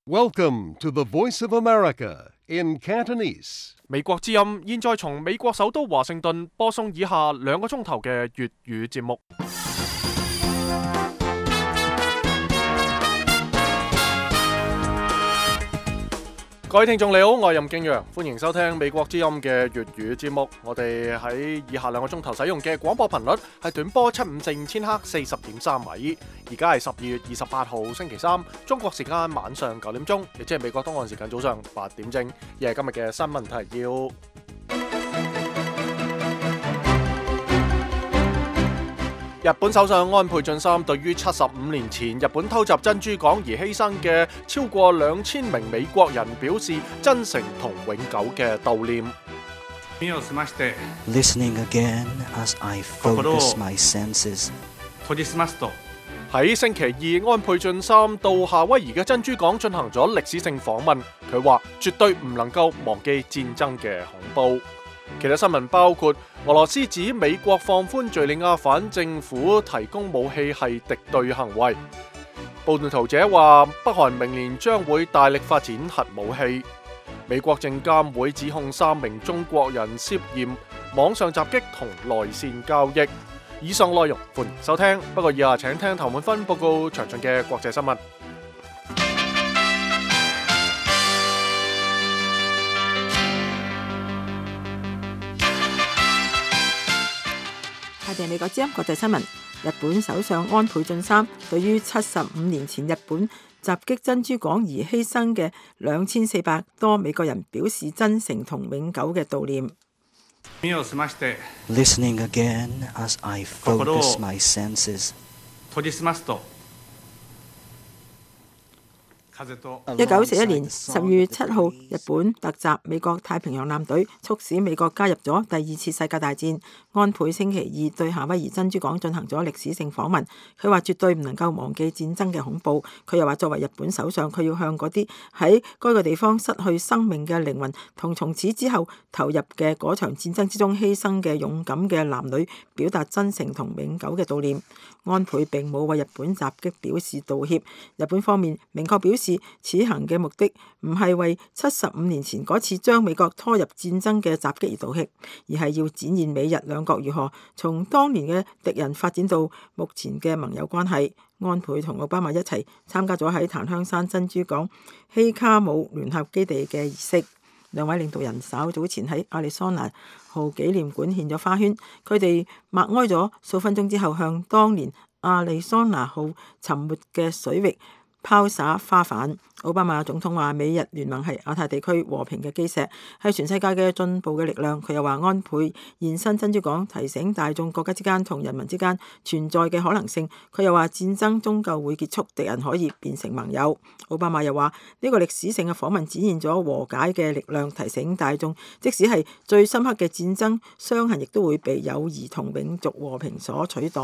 Welcome to the Voice of America in Cantonese. 美國之音現在從美國首都華盛頓播送以下2個鐘頭嘅粵語節目。各位聽眾你好，我係任敬陽，歡迎收聽美國之音嘅粵語節目。我哋喺以下2個鐘頭使用嘅廣播頻率係短波7545000赫40.3米。而家係12月28號星期三，中國時間晚上9點鐘，亦即係美國東岸時間早上8點正。而係今日嘅新聞提要。日本首相安倍晉三對於75年前日本偷襲珍珠港而犧牲嘅超過2000名美國人表示真誠同永久嘅悼念。Listening again as I focus my senses. 喺星期二，安倍晉三到夏威夷嘅珍珠港進行咗歷史性訪問。佢話絕對唔能夠忘記戰爭嘅恐怖。其他新聞包括俄羅斯指美國放寬敘利亞反政府提供武器係敵對行為。報道圖者話北韓明年將會大力發展核武器。美國證監會指控3名中國人涉嫌網上襲擊同內線交易。以上內容歡迎收聽，不過以下請聽譚滿芬報告詳盡嘅國際新聞。下邊美國之音國際新聞。日本首相安倍晉三對於75年前日本襲擊珍珠港而犧牲嘅2400多美國人表示真誠同永久嘅悼念。Listening again as I focus my senses. 1941年10月7號，日本突襲美國太平洋艦隊，促使美國加入咗第2次世界大戰。安倍星期二對夏威夷珍珠港進行咗歷史性訪問，佢話絕對唔能夠忘記戰爭嘅恐怖。佢又話作為日本首相，佢要向嗰啲喺該個地方失去生命嘅靈魂同從此之後投入嘅嗰場戰爭之中犧牲嘅勇敢嘅男女表達真誠同永久嘅悼念。安倍並冇為日本襲擊表示道歉。日本方面明確表示，此行嘅目的唔係為75年前嗰次將美國拖入戰爭嘅襲擊而道歉，而係要展現美日兩國如何從當年嘅敵人發展到目前嘅盟友關係。安倍同奧巴馬一齊參加咗喺檀香山珍珠港希卡姆聯合基地嘅儀式。兩位領導人稍早前喺亞利桑那號紀念館獻咗花圈，佢哋默哀咗數分鐘之後，向當年亞利桑那號沉沒嘅水域拋灑花瓣。奧巴馬總統話美日聯盟係亞太地區和平嘅基石，係全世界嘅進步嘅力量。佢又話安倍現身珍珠港，提醒大眾國家之間同人民之間存在嘅可能性。佢又話戰爭終究會結束，敵人可以變成盟友。奧巴馬又話呢個歷史性嘅訪問展現咗和解嘅力量，提醒大眾即使係最深刻嘅戰爭傷痕，亦都會被友誼同永續和平所取代。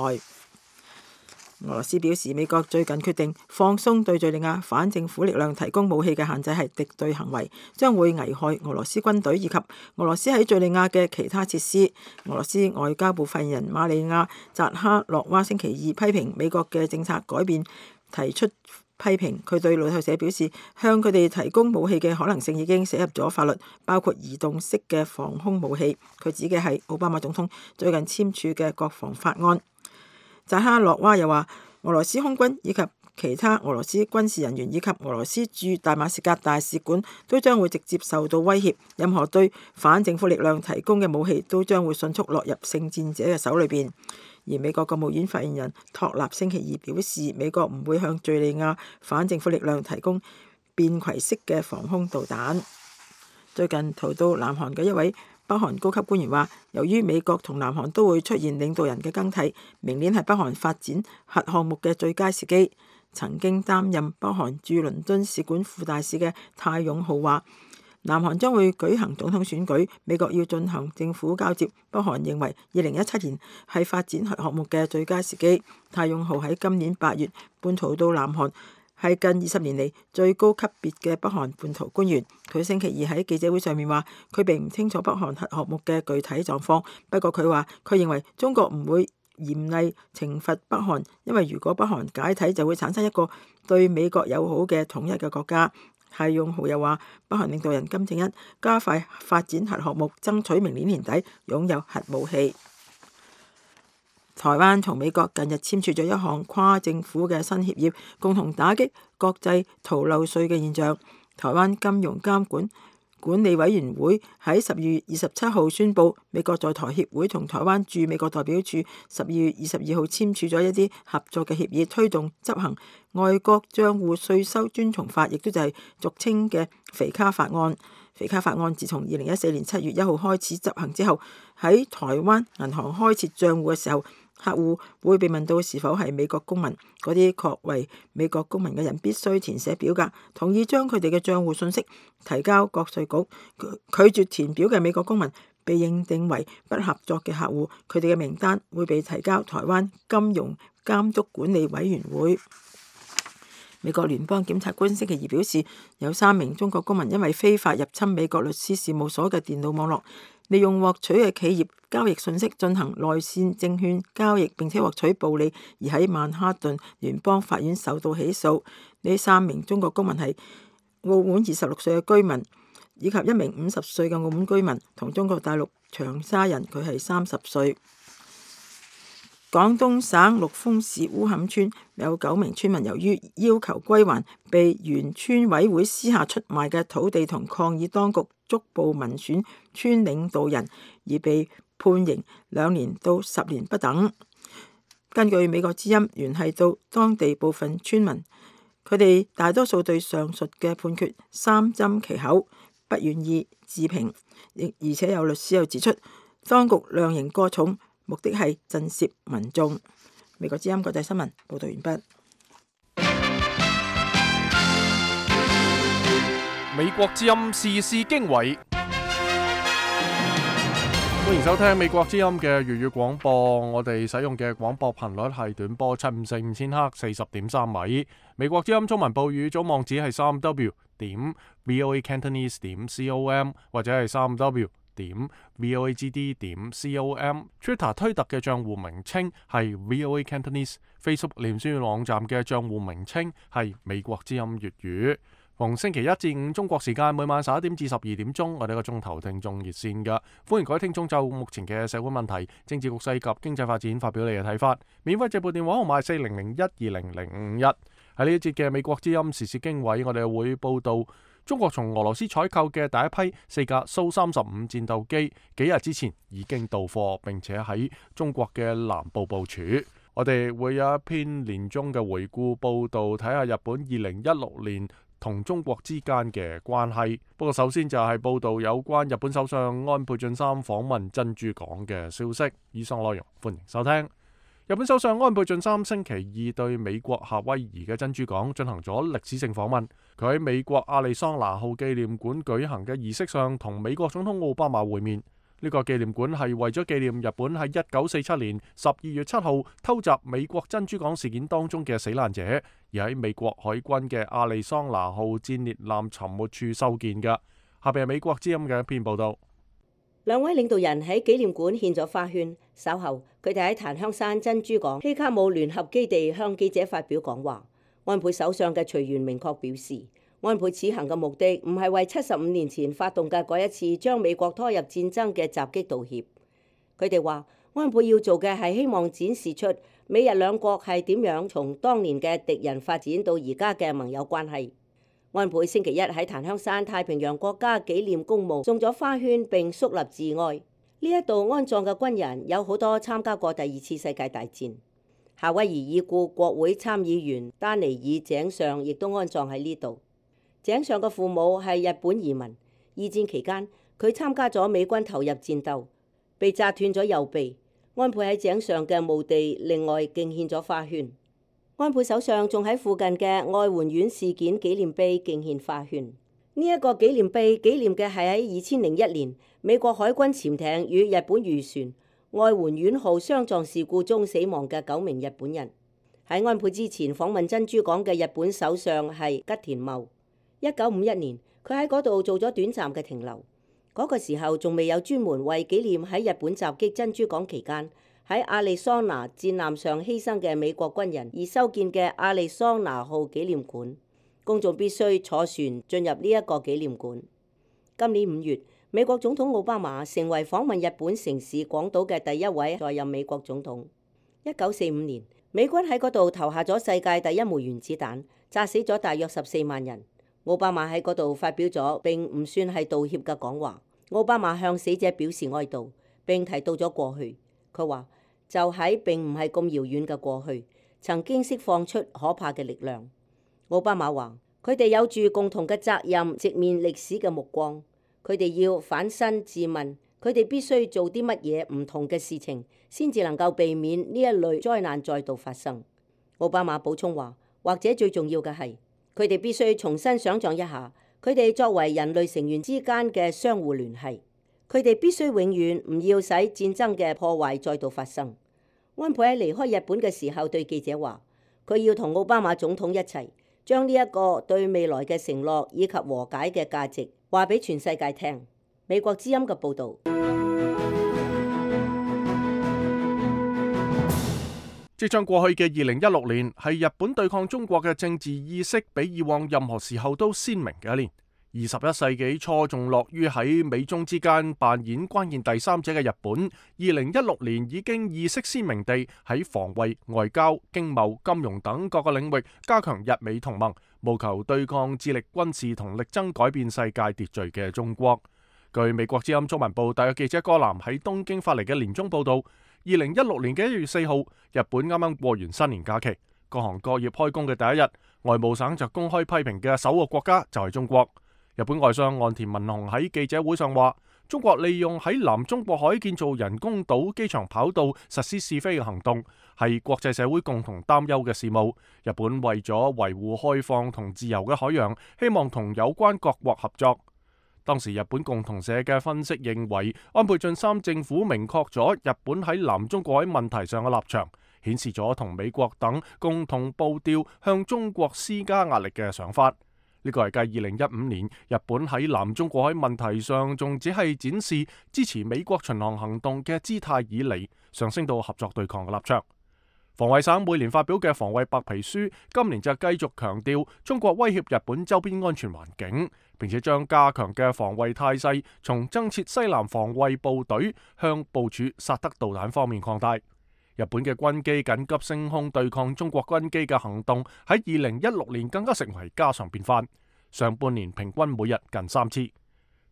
俄羅斯表示，美國最近決定放鬆對敘利亞反政府力量提供武器嘅限制係敵對行為，將會危害俄羅斯軍隊以及俄羅斯喺敘利亞嘅其他設施。俄羅斯外交部發言人瑪利亞扎哈洛娃星期二批評美國嘅政策改變，提出批評。佢對路透社表示，向佢哋提供武器嘅可能性已經寫入咗法律，包括移動式嘅防空武器。佢指嘅係奧巴馬總統最近簽署嘅國防法案。扎哈洛娃又話，俄羅斯空軍以及其他俄羅斯軍事人員以及俄羅斯駐大馬士革大使館都將會直接受到威脅，任何對反政府力量提供嘅武器都將會迅速落入聖戰者嘅手裏邊。而美國國務院發言人托納星期二表示，美國唔會向敘利亞反政府力量提供便攜式嘅防空導彈。最近逃到南韓嘅一位北韓高級官員話，由於美國同南韓都會出現領導人嘅更替，明年係北韓發展核項目嘅最佳時機。曾經擔任北韓駐倫敦使館副大使嘅泰勇浩話，南韓將會舉行總統選舉，美國要進行政府交接。北韓認為2017年係發展核項目嘅最佳時機。泰勇浩喺今年8月叛逃到南韓，係近20年嚟最高級別嘅北韓叛逃官員。佢星期二喺記者會上面話，佢並唔清楚北韓核項目嘅具體狀況，不過佢話佢認為中國唔會嚴厲懲罰北韓，因為如果北韓解體，就會產生一個對美國友好嘅統一嘅國家。係用豪又話，北韓領導人金正恩加快發展核項目，爭取明年年底擁有核武器。台灣同美國近日簽署咗一項跨政府嘅新協議，共同打擊國際逃漏稅嘅現象。台灣金融監管理委員會喺12月27號宣布，美國在台協會同台灣駐美國代表處12月22號簽署咗一啲合作嘅協議，推動執行外國帳戶稅收遵從法，亦都就係俗稱嘅肥卡法案。肥卡法案自從2014年7月1號開始執行之後，喺台灣銀行開設帳戶嘅時候，客戶會被問到是否係美國公民，嗰啲確為美國公民嘅人必須填寫表格，同意將佢哋嘅帳戶信息提交國稅局。拒絕填表嘅美國公民被認定為不合作嘅客戶，佢哋嘅名單會被提交台灣金融監督管理委員會。美國聯邦檢察官星期二表示，有3名中國公民因為非法入侵美國律師事務所嘅電腦網絡，利用獲取嘅企業交易信息進行內線證券交易，並且獲取暴利，而喺曼哈頓聯邦法院受到起訴。呢3名中國公民係澳門26歲嘅居民，以及1名50歲嘅澳門居民，同中國大陸長沙人，佢係30歲。廣東省陸豐市烏坎村有9名村民由於要求歸還被原村委會私下出賣嘅土地同抗議當局逐步民選村領導人，而被判刑2年到10年不等。根據美國之音聯繫到當地部分村民，佢哋大多數對上述嘅判決三緘其口，不願意置評，而且有律師又指出，當局量刑過重，目的係震懾民眾。美國之音國際新聞報道完畢。美國之音時事經緯，歡迎收聽美國之音嘅粵語廣播。我哋使用嘅廣播頻率係短波754千赫40.3米。美國之音中文報語總網址係3w.voacantonese.com 或者係3w.voagd.com。 Twitter 推特嘅賬戶名稱係 VOA Cantonese。 Facebook 臉書網站嘅賬戶名稱係美國之音粵語。逢星期1至5中國時間每晚11點至12點鐘，我哋個鐘頭聽眾熱線㗎，歡迎各位聽眾就目前嘅社會問題、政治局勢及經濟發展發表你嘅睇法。免費直撥電話號碼係4001200051。喺呢一節嘅美國之音時事經緯，我哋會報道中國從俄羅斯採購嘅第一批4架蘇35戰鬥機，幾日之前已經到貨，並且喺中國嘅南部部署。我哋會有一篇年終嘅回顧報道，睇下日本2016年同中國之間嘅關係。不過首先就係報道有關日本首相安倍晉三訪問珍珠港嘅消息。以上內容歡迎收聽。日本首相安倍晉三星期2對美國夏威夷嘅珍珠港進行咗歷史性訪問。佢喺美國亞利桑那號紀念館舉行嘅儀式上，同美國總統奧巴馬會面。呢個紀念館係為咗紀念日本喺1947年12月7號偷襲美國珍珠港事件當中嘅死難者，而喺美國海軍嘅亞利桑那號戰列艦沉沒處修建嘅。下邊係美國之音嘅一篇報道。兩位領導人喺紀念館獻咗花圈，稍後佢哋喺檀香山珍珠港希卡姆聯合基地向記者發表講話。安倍首相嘅隨員明確表示，安倍此行嘅目的唔係為75年前發動嘅嗰一次將美國拖入戰爭嘅襲擊道歉。佢哋話，安倍要做嘅係希望展示出美日兩國係點樣從當年嘅敵人發展到而家嘅盟友關係。安倍星期1喺檀香山太平洋國家紀念公墓送咗花圈並肅立致哀。呢一度安葬嘅軍人有好多參加過第2次世界大戰。夏威夷已故國會參議員丹尼爾井上亦都安葬喺呢度。井上嘅父母係日本移民，二戰期間佢參加咗美軍投入戰鬥，被炸斷咗右臂。安倍喺井上嘅墓地另外敬獻咗花圈。安倍首相仲喺附近嘅愛媛縣事件紀念碑敬獻花圈。呢一個紀念碑紀念嘅係喺2001年美國海軍潛艇與日本漁船愛媛縣號相撞事故中死亡嘅9名日本人。喺安倍之前訪問珍珠港嘅日本首相係吉田茂。1951年，佢喺嗰度做咗短暫嘅停留。嗰個時候仲未有專門為紀念喺日本襲擊珍珠港期間喺亞利桑那戰艦上犧牲嘅美國軍人而修建嘅亞利桑那號紀念館，公眾必須坐船進入呢一個紀念館。今年5月，美國總統奧巴馬成為訪問日本城市廣島嘅第一位在任美國總統。1945年，美軍喺嗰度投下咗世界第一枚原子彈，炸死咗大約14萬人。奧巴馬喺嗰度發表咗並唔算係道歉嘅講話。奧巴馬向死者表示哀悼，並提到咗過去。佢話就喺並唔係咁遙遠嘅過去，曾經釋放出可怕嘅力量。奧巴馬話佢哋有住共同嘅責任，直面歷史嘅目光。佢哋要反身自問，佢哋必須做啲乜嘢唔同嘅事情，先至能夠避免呢一類災難再度發生。奧巴馬補充話，或者最重要嘅係，佢哋必須重新想像一下，佢哋作為人類成員之間嘅相互聯繫。佢哋必須永遠唔要使戰爭嘅破壞再度發生。安倍喺離開日本嘅時候對記者話，佢要同奧巴馬總統一齊將呢一個對未來嘅承諾以及和解嘅價值話俾全世界聽。美國之音嘅報導。即將過去嘅2016年係日本對抗中國嘅政治意識比以往任何時候都鮮明嘅一年。21世紀初仲樂於喺美中之間扮演關鍵第三者嘅日本，2016年已經意識鮮明地喺防衛、外交、經貿、金融等各個領域加強日美同盟，務求對抗致力軍事同力爭改變世界秩序嘅中國。據美國之音中文部特約記者柯南喺東京發嚟嘅年終報導，2016年嘅1月4號，日本啱啱過完新年假期，各行各業開工嘅第一日，外務省就公開批評嘅首個國家就係中國。日本外相岸田文雄喺記者會上話，中國利用喺南中國海建造人工島、機場跑道實施試飛嘅行動，係國際社會共同擔憂嘅事務。日本為咗維護開放同自由嘅海洋，希望同有關各國合作。當時日本共同社嘅分析認為，安倍晉三政府明確咗日本喺南中國海問題上嘅立場，顯示咗同美國等共同步調向中國施加壓力嘅想法。呢個係繼2015年日本喺南中國海問題上仲只係展示支持美國巡航行動嘅姿態以嚟，上升到合作對抗嘅立場。防衛省每年發表嘅防衛白皮書，今年就繼續強調中國威脅日本周邊安全環境，並且將加強嘅防衛態勢從增設西南防衛部隊向部署薩德導彈方面擴大。日本嘅軍機緊急升空對抗中國軍機嘅行動喺2016年更加成為家常便飯，上半年平均每日近3次。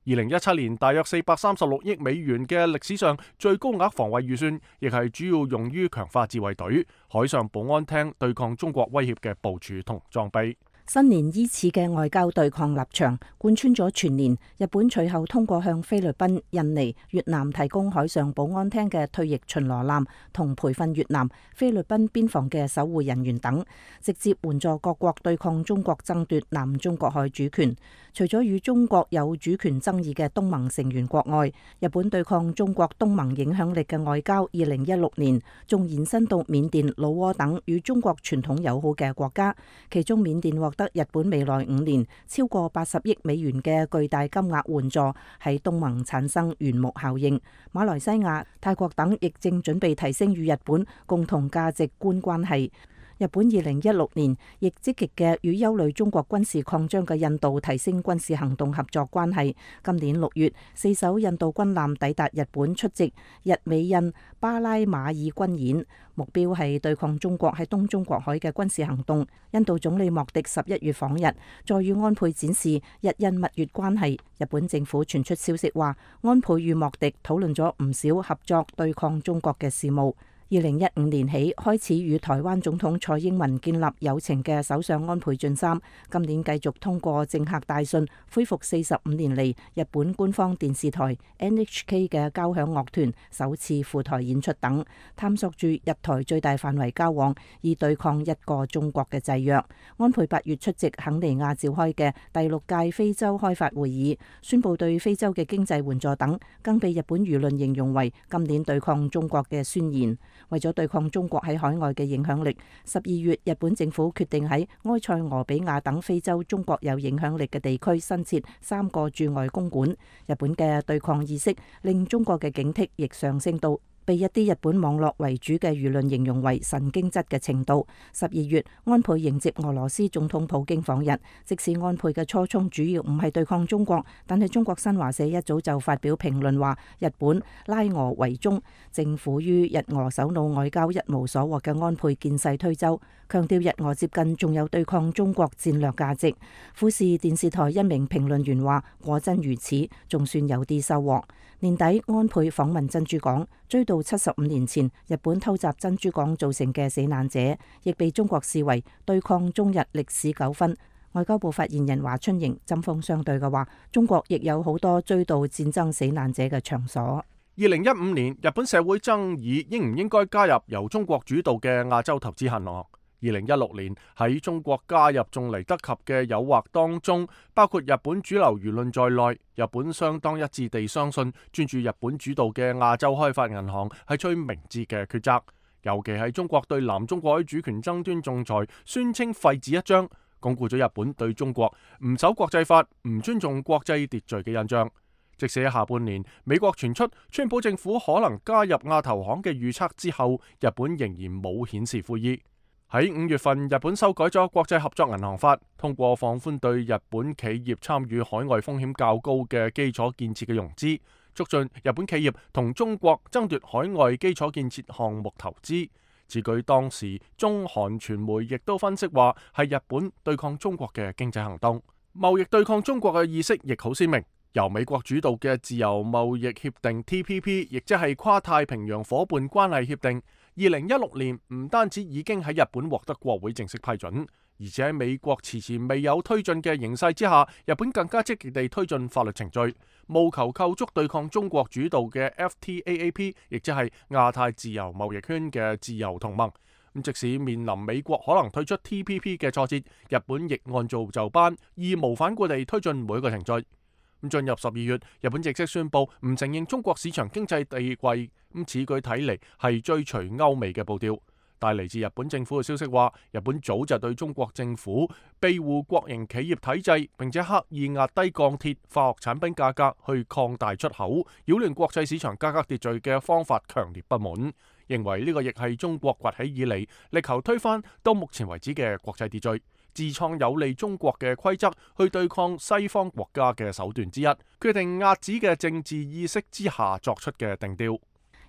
2017年大約436億美元嘅歷史上最高額防衛預算，亦係主要用於強化自衛隊、海上保安廳對抗中國威脅嘅部署同裝備。新年依次嘅外交對抗立場貫穿咗全年。日本隨後通過向菲律賓、印尼、越南提供海上保安廳嘅退役巡邏艦同培訓越南、菲律賓邊防嘅守護人員等，直接援助各國對抗中國爭奪南中國海主權。除咗與中國有主權爭議嘅東盟成員國外，日本對抗中國東盟影響力嘅外交2016年仲延伸到緬甸、老撾等與中國傳統友好嘅國家，其中緬甸獲得日本未來5年超過80億美元嘅巨大金額援助，喺東盟產生緣木效應。馬來西亞、泰國等亦正準備提升與日本共同價值觀關係。日本2016年亦積極嘅與憂慮中國軍事擴張嘅印度提升軍事行動合作關係。今年6月，4艘印度軍艦抵達日本出席日美印巴拉馬爾軍演，目標係對抗中國喺東中國海嘅軍事行動。印度總理莫迪11月訪日，再與安倍展示日印蜜月關係。日本政府傳出消息話，安倍與莫迪討論咗唔少合作對抗中國嘅事務。2015年起開始與台灣總統蔡英文建立友情嘅首相安倍晉三，今年繼續通過政客大信恢復45年嚟日本官方電視台 NHK 嘅交響樂團首次赴台演出等，探索住日台最大範圍交往，以對抗一個中國嘅制約。安倍8月出席肯尼亞召開嘅第6屆非洲開發會議，宣布對非洲嘅經濟援助等，更被日本輿論形容為今年對抗中國嘅宣言。為咗對抗中國喺海外嘅影響力，12月日本政府決定喺埃塞俄比亞等非洲中國有影響力嘅地區新設3個駐外公館。日本嘅對抗意識令中國嘅警惕亦上升到被一啲日本網絡為主嘅輿論形容為神經質嘅程度。12月，安倍迎接俄羅斯總統普京訪日。即使安倍嘅初衷主要唔係對抗中國，但係中國新華社一早就發表評論話，日本拉俄為中，政府於日俄首腦外交一無所獲嘅安倍見勢推舟，強調日俄接近仲有對抗中國戰略價值。富士電視台一名評論員話，果真如此，仲算有啲收穫。年底安倍訪問珍珠港，追到75年前日本偷襲珍珠港造成嘅死難者，亦被中國視為對抗中日歷史糾紛。外交部發言人華春瑩針鋒相對嘅話，中國亦有好多追悼戰爭死難者嘅場所。2015年，日本社會爭議應唔應該加入由中國主導嘅亞洲投資銀行。2016年喺中國加入仲嚟得及嘅誘惑當中，包括日本主流輿論在內，日本相當一致地相信專注日本主導嘅亞洲開發銀行係最明智嘅抉擇。尤其係中國對南中國海主權爭端仲裁宣稱廢紙一張，鞏固咗日本對中國唔守國際法、唔尊重國際秩序嘅印象。即使喺下半年美國傳出川普政府可能加入亞投行嘅預測之後，日本仍然冇顯示悔意。喺5月份，日本修改咗國際合作銀行法，通過放寬對日本企業參與海外風險較高嘅基礎建設嘅融資，促進日本企業同中國爭奪海外基礎建設項目投資。此舉當時中韓傳媒亦都分析話係日本對抗中國嘅經濟行動，貿易對抗中國嘅意識亦好鮮明。由美國主導嘅自由貿易協定 TPP， 亦即係跨太平洋夥伴關係協定，2016年唔單止已經喺日本獲得國會正式批准，而且喺美國遲遲未有推進嘅形勢之下，日本更加積極地推進法律程序，務求構築對抗中國主導嘅 FTAAP， 亦即係亞太自由貿易圈嘅自由同盟。即使面臨美國可能退出 TPP 嘅挫折，日本亦按部就班，義無反顧地推進每一個程序。進入12月，日本正式宣布唔承認中國市場經濟地位，此舉睇嚟係追隨歐美嘅步調。但嚟自日本政府嘅消息話，日本早就對中國政府庇護國營企業體制，並且刻意壓低鋼鐵、化學產品價格去擴大出口，擾亂國際市場價格秩序嘅方法強烈不滿，認為呢個亦係中國崛起以嚟力求推翻到目前為止嘅國際秩序，自創有利中國嘅規則去對抗西方國家嘅手段之一，決定遏止嘅政治意識之下作出嘅定調。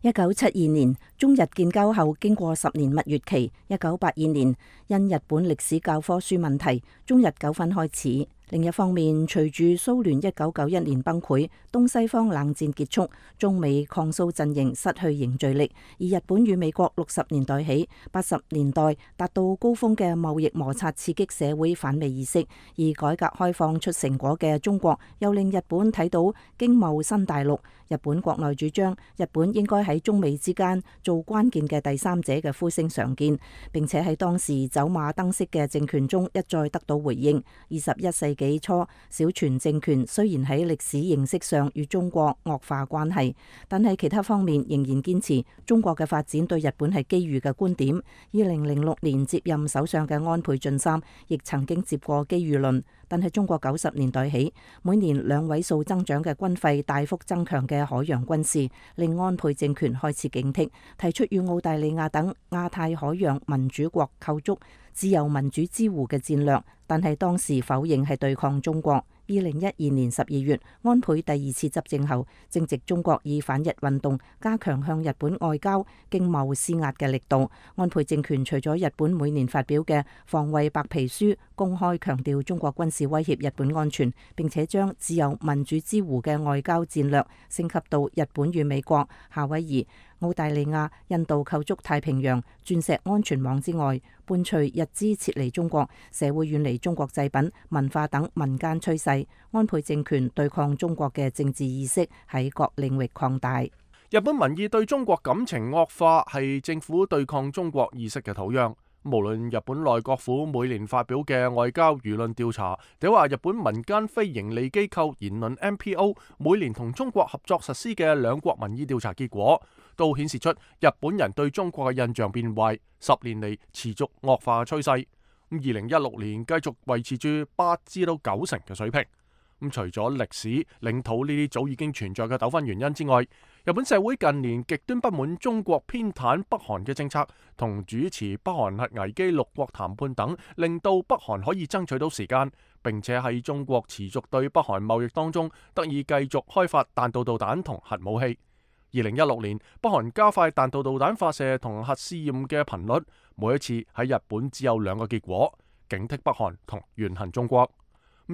1972年中日建交後，經過10年蜜月期，1982年因日本歷史教科書問題，中日糾紛開始。另一方面，隨住蘇聯1991年崩潰，東西方冷戰結束，中美抗蘇陣營失去凝聚力，而日本與美國60年代起80年代達到高峰嘅貿易摩擦，刺激社會反美意識，而改革開放出成果嘅中國又令日本睇到經貿新大陸。日本國內主張日本應該喺中美之間做關鍵嘅第三者嘅呼聲常見，並且喺當時走馬燈式嘅政權中一再得到回應。21世紀初，小泉政權雖然喺歷史形式上與中國惡化關係，但係其他方面仍然堅持中國嘅發展對日本係機遇嘅觀點。2006年接任首相嘅安倍晉三亦曾經接過機遇論，但係中國90年代起每年2位數增長嘅軍費大幅增強嘅海洋軍事，令安倍政權開始警惕，提出與澳大利亞等亞太海洋民主國構築自由民主之湖嘅戰略，但係當時否認係對抗中國。2012年12月，安倍第2次執政後，正值中國以反日運動加強向日本外交經貿施壓嘅力度。安倍政權除咗日本每年發表嘅防衛白皮書，公開強調中國軍事威脅日本安全，並且將自由民主之湖嘅外交戰略升級到日本與美國、夏威夷、澳大利亞、印度構築太平洋鑽石安全網之外，伴隨日資撤離中國，社會遠離中國製品、文化等民間趨勢，安倍政權對抗中國嘅政治意識喺各領域擴大。日本民意對中國感情惡化係政府對抗中國意識嘅土壤。無論日本內閣府每年發表嘅外交輿論調查，定話日本民間非營利機構言論 NPO 每年同中國合作實施嘅兩國民意調查結果，都顯示出日本人對中國嘅印象變壞，10年嚟持續惡化嘅趨勢。2016年繼續維持住8至9成嘅水平。除咗歷史、領土呢啲早已經存在嘅糾紛原因之外，日本社會近年極端不滿中國偏袒北韓嘅政策，同主持北韓核危機6國談判等，令到北韓可以爭取到時間，並且喺中國持續對北韓貿易當中得以繼續開發彈道導彈同核武器。2016年，北韓加快彈道導彈發射同核試驗嘅頻率，每一次喺日本只有2個結果：警惕北韓同怨恨中國。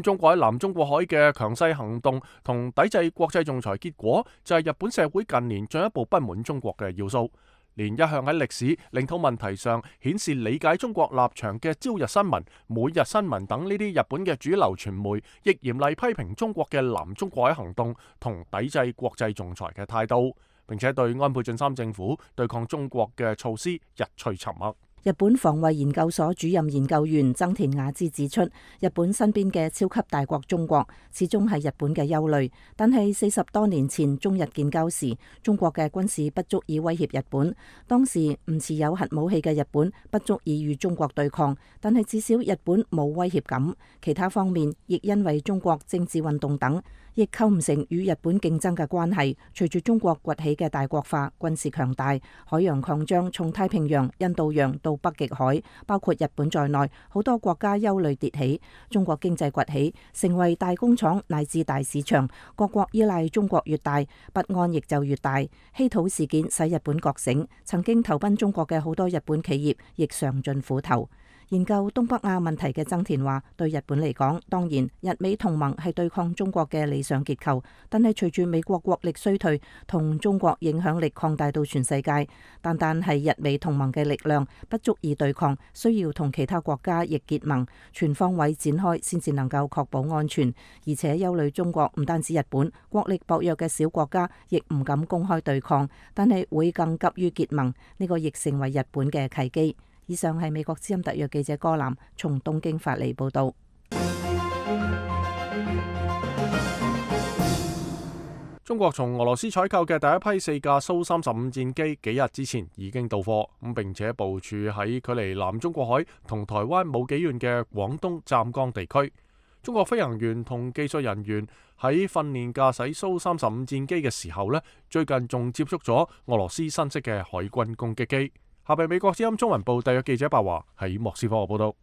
中國喺南中國海嘅強勢行動同抵制國際仲裁，結果就係日本社會近年進一步不滿中國嘅要素。連一向喺歷史、領土問題上顯示理解中國立場嘅朝日新聞、每日新聞等呢啲日本嘅主流傳媒，亦嚴厲批評中國嘅南中國海行動同抵制國際仲裁嘅態度，並且對安倍晉三政府對抗中國嘅措施日趨沉默。日本防衛研究所主任研究員增田雅之指出，日本身邊嘅超級大國中國始終係日本嘅憂慮，但係40多年前中日建交時，中國嘅軍事不足以威脅日本。當時唔持有核武器嘅日本不足以與中國對抗，但係至少日本冇威脅感。其他方面亦因為中國政治運動等，亦構唔成與日本競爭嘅關係。隨住中國崛起嘅大國化、軍事強大、海洋擴張，從太平洋、印度洋到北極海，包括日本在內，好多國家憂慮迭起。中國經濟崛起，成為大工廠乃至大市場，各國依賴中國越大，不安亦就越大。稀土事件使日本覺醒，曾經投奔中國嘅好多日本企業亦嘗盡苦頭。研究東北亞問題嘅增田話，對日本嚟講，當然日美同盟係對抗中國嘅理想結構，但係隨住美國國力衰退，同中國影響力擴大到全世界，單係日美同盟嘅力量不足以對抗，需要同其他國家亦結盟，全方位展開先至能夠確保安全。而且憂慮中國唔單止日本，國力薄弱嘅小國家亦唔敢公開對抗，但係會更急於結盟，呢個亦成為日本嘅契機。以上係美國之音特約記者柯南從東京發嚟報道。中國從俄羅斯採購嘅第一批4架蘇35戰機幾日之前已經到貨，並且部署喺距離南中國海同台灣冇幾遠嘅廣東湛江地區。中國飛行員同技術人員喺訓練駕駛蘇35戰機嘅時候呢，最近仲接觸咗俄羅斯新式嘅海軍攻擊機。下邊美國之音中文部特約記者白華喺莫斯科報道。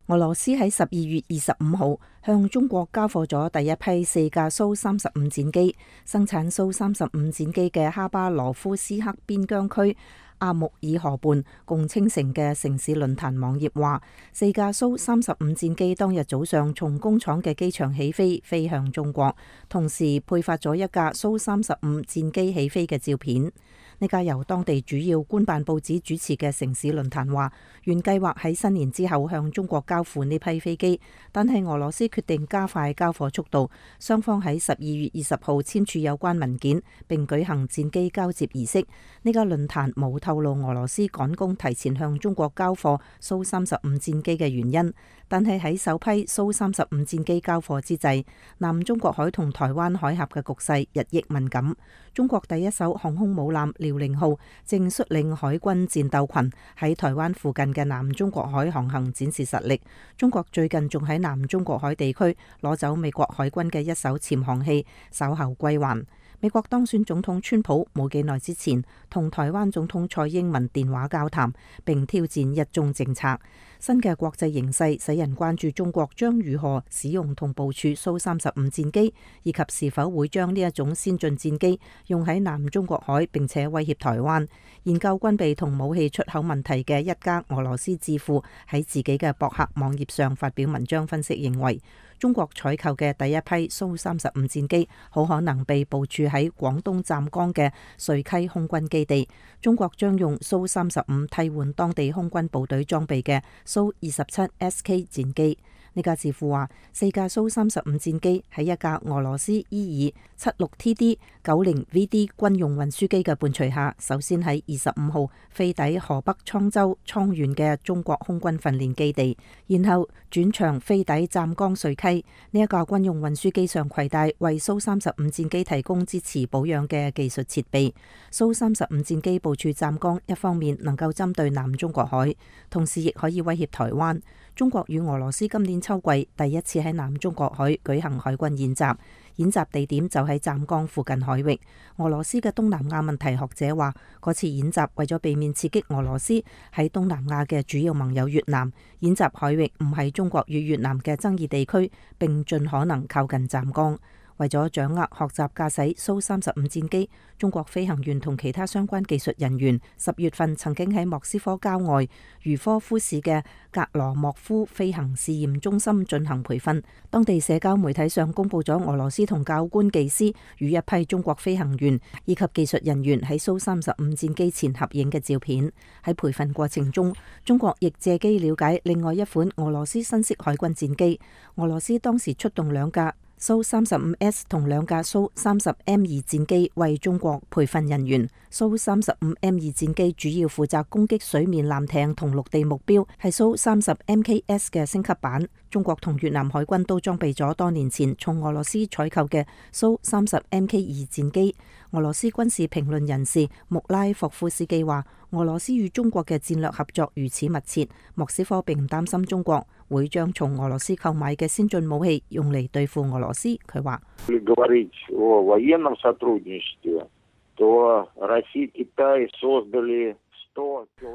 俄羅斯喺12月25號向中國交貨咗第一批4架蘇35戰機。生產蘇35戰機嘅哈巴羅夫斯克邊疆區阿穆爾河畔共青城嘅城市論壇網頁話，4架蘇35戰機當日早上從工廠嘅機場起飛，飛向中國，同時配發咗1架蘇35戰機起飛嘅照片。呢架由當地主要官辦報紙主持嘅城市論壇話，原計劃喺新年之後向中國交付呢批飛機，但係俄羅斯決定加快交貨速度，雙方喺12月20號簽署有關文件，並舉行戰機交接儀式。呢架論壇冇透露俄羅斯趕工提前向中國交貨蘇35戰機嘅原因，但係喺首批蘇35戰機交貨之際，南中國海同台灣海峽嘅局勢日益敏感。中國第一艘航空母艦遼寧號正率領海軍戰鬥群喺台灣附近嘅南中國海航行，展示實力。中國最近仲喺南中國海地區攞走美國海軍嘅一艘潛航器，稍後歸還。美國當選總統川普冇幾耐之前同台灣總統蔡英文電話交談，並挑戰一中政策。新嘅國際形勢使人關注中國將如何使用同部署蘇35戰機，以及是否會將呢一種先進戰機用喺南中國海，並且威脅台灣。研究軍備同武器出口問題嘅一家俄羅斯智庫喺自己嘅博客網頁上發表文章分析，認為中國採購嘅第一批蘇35戰機好可能被部署喺廣東湛江嘅瑞溪空軍基地。中國將用蘇35替換當地空軍部隊裝備嘅蘇27 SK 戰機。呢家智庫話，4架蘇35戰機喺一架俄羅斯伊爾76TD 90VD 軍用運輸機嘅伴隨下，首先喺25號飛抵河北滄州滄縣嘅中國空軍訓練基地，然後轉場飛抵湛江瑞溪。呢一架軍用運輸機上攜帶為蘇35戰機提供支持保養嘅技術設備。蘇35戰機部署湛江，一方面能夠針對南中國海，同時亦可以威脅台灣。中國與俄羅斯今年秋季第一次喺南中國海舉行海軍演習，演習地點就喺湛江附近海域。俄羅斯嘅東南亞問題學者話，嗰次演習為咗避免刺激俄羅斯喺東南亞嘅主要盟友越南，演習海域唔係中國與越南嘅爭議地區，並盡可能靠近湛江。為咗掌握學習駕駛蘇35戰機，中國飛行員同其他相關技術人員10月份曾經喺莫斯科郊外茹科夫市嘅格羅莫夫飛行試驗中心進行培訓。當地社交媒體上公布咗俄羅斯同教官技師與一批中國飛行員以及技術人員喺蘇35戰機前合影嘅照片。喺培訓過程中，中國亦借機了解另外一款俄羅斯新式海軍戰機。俄羅斯當時出動2架蘇35S 同2架蘇30M2戰機為中國培訓人員。蘇35M2戰機主要負責攻擊水面艦艇同陸地目標，係蘇30MKS 嘅升級版。中國同越南海軍都裝備咗多年前從俄羅斯採購嘅蘇30MK2戰機。俄羅斯軍事評論人士穆拉霍夫斯基話，俄羅斯與中國嘅戰略合作如此密切，莫斯科並唔擔心中國會將從俄羅斯購買嘅先進武器用嚟對付俄羅斯。佢話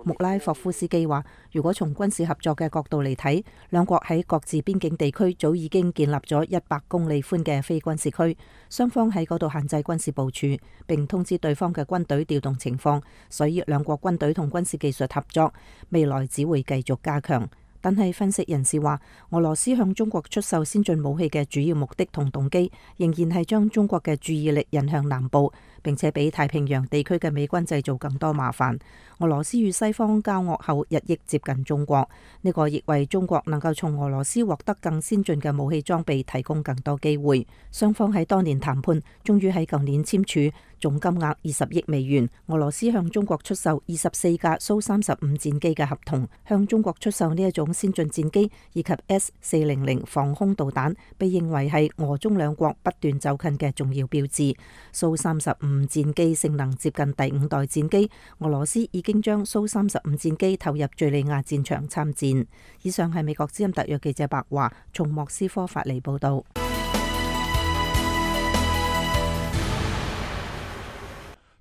穆拉霍夫斯基話，如果從軍事合作嘅角度嚟睇，兩國喺各自邊境地區早已經建立咗100公里寬嘅非軍事區，雙方喺嗰度限制軍事部署，並通知對方嘅軍隊調動情況，所以兩國軍隊同軍事技術合作未來只會繼續加強。但係分析人士話，俄羅斯向中國出售先進武器嘅主要目的同動機，仍然係將中國嘅注意力引向南部，並且俾太平洋地區嘅美軍製造更多麻煩。俄羅斯與西方交惡後日益接近中國，呢個亦為中國能夠從俄羅斯獲得更先進嘅武器裝備提供更多機會。雙方喺多年談判，終於喺舊年簽署總金額20億美元，俄羅斯向中國出售24架蘇35戰機嘅合同。向中國出售呢一種先進戰機以及 S400防空導彈，被認為係俄中兩國不斷走近嘅重要標誌。蘇35戰機性能接近第5代戰機，俄羅斯已經將蘇35戰機投入敘利亞戰場參戰。以上係美國之音特約記者白華從莫斯科發嚟報道。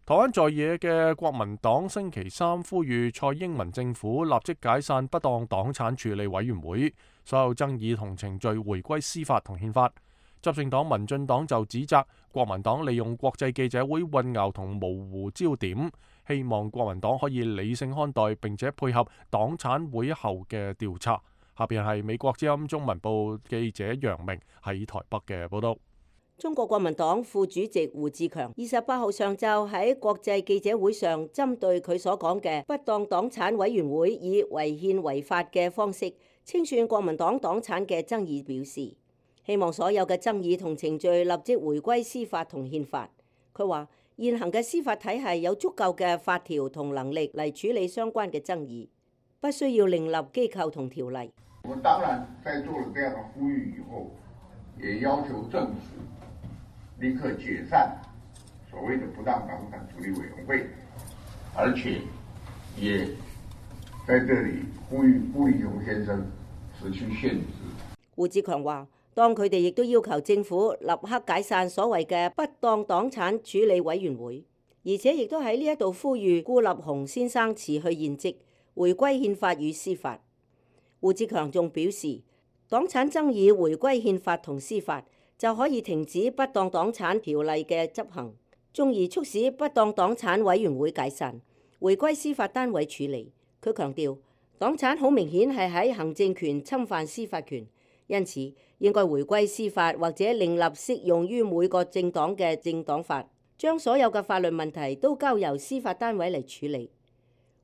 台灣在野嘅國民黨星期三呼籲蔡英文政府立即解散不當黨產處理委員會，所有爭議同程序回歸司法同憲法。執政黨民進黨就指責國民黨利用國際記者會混淆同模糊焦點，希望國民黨可以理性看待並且配合黨產會後嘅調查。下邊係美國之音中文部記者楊明喺台北嘅報道。中國國民黨副主席胡志強28號上晝喺國際記者會上，針對佢所講嘅不當黨產委員會以違憲違法嘅方式清算國民黨黨產嘅爭議表示，希望所有嘅爭議同程序立即回歸司法同憲法。佢話現行嘅司法體系有足夠嘅法條同能力嚟處理相關嘅爭議，不需要另立機構同條例。我當然在做了這樣的呼籲以後，也要求政府立刻解散所謂的不當黨產處理委員會，而且也在這裡呼籲顧立雄先生辭去現職。胡志強話，當佢哋亦都要求政府立刻解散所謂嘅不當黨產處理委員會，而且亦都喺呢一度呼籲顧立雄先生辭去現職，回歸憲法與司法。胡志強仲表示，黨產爭議回歸憲法同司法，就可以停止不當黨產條例嘅執行，從而促使不當黨產委員會解散，回歸司法單位處理。佢強調，黨產好明顯係喺行政權侵犯司法權，因此應該回歸司法或者另立適用於每個政黨嘅政黨法，將所有嘅法律問題都交由司法單位嚟處理。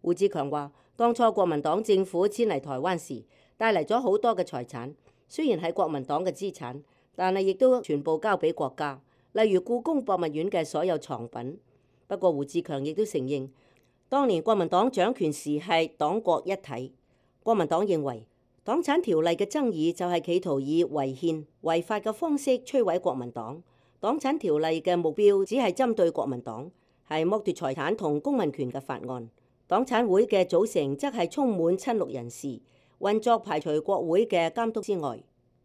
胡志強話，當初國民黨政府遷嚟台灣時，帶嚟咗好多嘅財產，雖然係國民黨嘅資產，但係亦都全部交俾國家，例如故宮博物院嘅所有藏品。不過胡志強亦都承認，當年國民黨掌權時係黨國一體。國民黨認為黨產條例嘅爭議就係企圖以違憲違法嘅方式摧毀國民黨。黨產條例嘅目標只係針對國民黨，係剝奪財產同公民權嘅法案。黨產會嘅組成則係充滿親綠人士，運作排除國會嘅監督之外。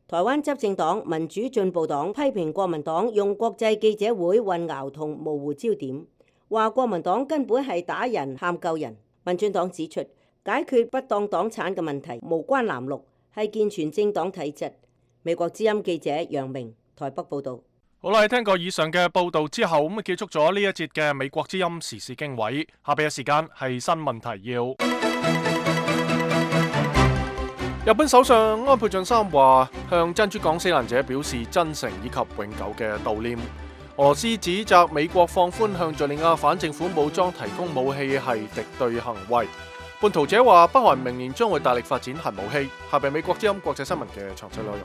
台灣執政黨民主進步黨批評國民黨用國際記者會混淆同模糊焦點，話國民黨根本係打人喊救人。民進黨指出，解決不當黨產嘅問題無關藍綠，係健全政黨體質。美國之音記者楊明台北報道。好啦，聽過以上嘅報道之後，咁結束咗呢一節嘅美國之音時事經緯。下邊嘅時間係新聞提要。日本首相安倍晉三話向珍珠港死難者表示真誠以及永久嘅悼念。俄羅斯指責美國放寬向敘利亞反政府武裝提供武器係敵對行為。叛徒者話北韓明年將會大力發展核武器。下邊美國之音國際新聞嘅詳細內容。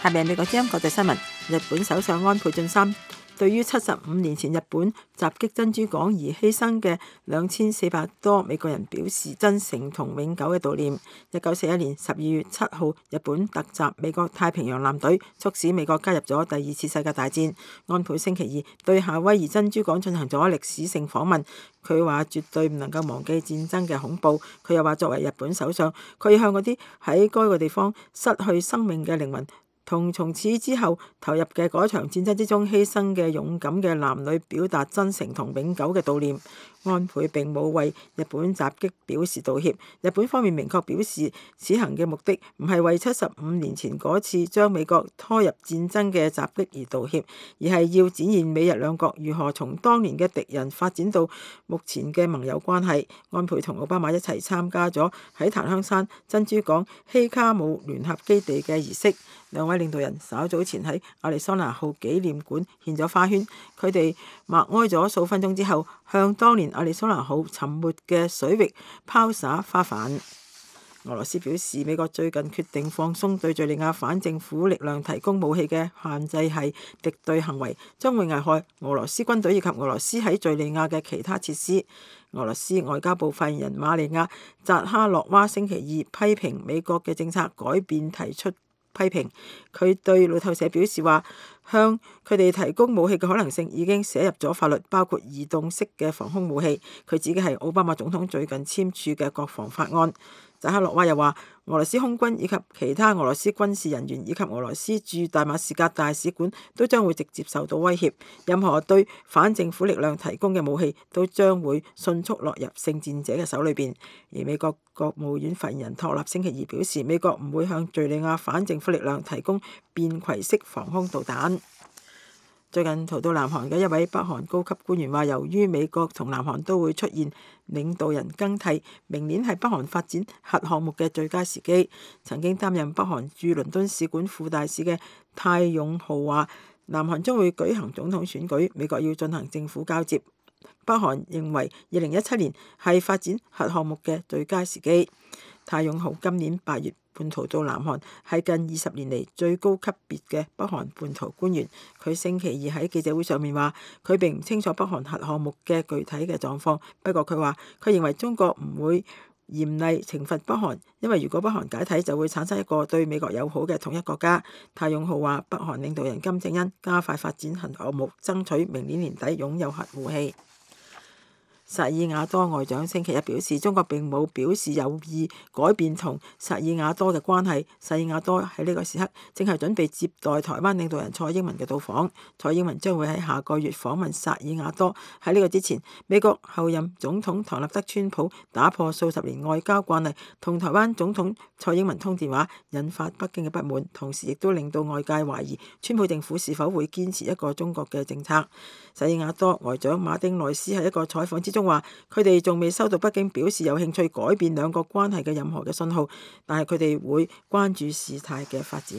下面美國之音國際新聞。日本首相安倍晉三對於75年前日本襲擊珍珠港而犧牲嘅2400多美國人表示真誠同永久嘅悼念。1941年12月7號，日本突襲美國太平洋艦隊，促使美國加入咗第二次世界大戰。安倍星期二對夏威夷珍珠港進行咗歷史性訪問，佢話絕對唔能夠忘記戰爭嘅恐怖。佢又話作為日本首相，佢要向嗰啲喺該個地方失去生命嘅靈魂同從此之後投入嘅嗰場戰爭之中犧牲嘅勇敢嘅男女表達真誠同永久嘅悼念。安倍並冇為日本襲擊表示道歉。日本方面明確表示，此行嘅目的唔係為75年前嗰次將美國拖入戰爭嘅襲擊而道歉，而係要展現美日兩國如何從當年嘅敵人發展到目前嘅盟友關係。安倍同奧巴馬一齊參加咗喺檀香山珍珠港希卡姆聯合基地嘅儀式。兩位領導人稍早前喺亞利桑那號紀念館獻咗花圈，佢哋默哀咗數分鐘之後，向當年亞利桑那號沉沒嘅水域拋灑花瓣。俄羅斯表示，美國最近決定放鬆對敘利亞反政府力量提供武器嘅限制係敵對行為，將會危害俄羅斯軍隊以及俄羅斯喺敘利亞嘅其他設施。俄羅斯外交部發言人瑪利亞扎哈洛娃星期二批評美國嘅政策改變提出批評。佢對路透社表示話，向佢哋提供武器嘅可能性已經寫入咗法律，包括移動式嘅防空武器。佢指嘅係奧巴馬總統最近簽署嘅國防法案。扎哈洛娃又話，俄羅斯空軍以及其他俄羅斯軍事人員以及俄羅斯駐大馬士革大使館都將會直接受到威脅，任何對反政府力量提供嘅武器都將會迅速落入聖戰者嘅手裏邊。而美國國務院發言人托納星期二表示，美國唔會向敘利亞反政府力量提供便攜式防空導彈。最近逃到南韓嘅一位北韓高級官員話，由於美國同南韓都會出現領導人更替，明年係北韓發展核項目嘅最佳時機。曾經擔任北韓駐倫敦使館副大使嘅泰勇浩話，南韓將會舉行總統選舉，美國要進行政府交接。北韓認為2017年係發展核項目嘅最佳時機。泰勇浩今年8月叛逃到南韓，係近20年嚟最高級別嘅北韓叛逃官員。佢星期二喺記者會上面話，佢並唔清楚北韓核項目嘅具體嘅狀況。不過佢話，佢認為中國唔會嚴厲懲罰北韓，因為如果北韓解體，就會產生一個對美國友好嘅統一國家。泰勇浩話，北韓領導人金正恩加快發展核項目，爭取明年年底擁有核武器。薩爾瓦多外長星期一表示，中國並冇表示有意改變同薩爾瓦多嘅關係。薩爾瓦多喺呢個時刻正係準備接待台灣領導人蔡英文嘅到訪。蔡英文將會喺下個月訪問薩爾瓦多。喺呢個之前，美國後任總統唐納德川普打破數十年外交慣例，同台灣總統蔡英文通電話，引發北京嘅不滿，同時亦都令到外界懷疑川普政府是否會堅持一個中國嘅政策。薩爾瓦多外長馬丁內斯喺一個採訪之中話，佢哋仲未收到北京表示有興趣改變兩國關係嘅任何嘅信號，但係佢哋會關注事態嘅發展。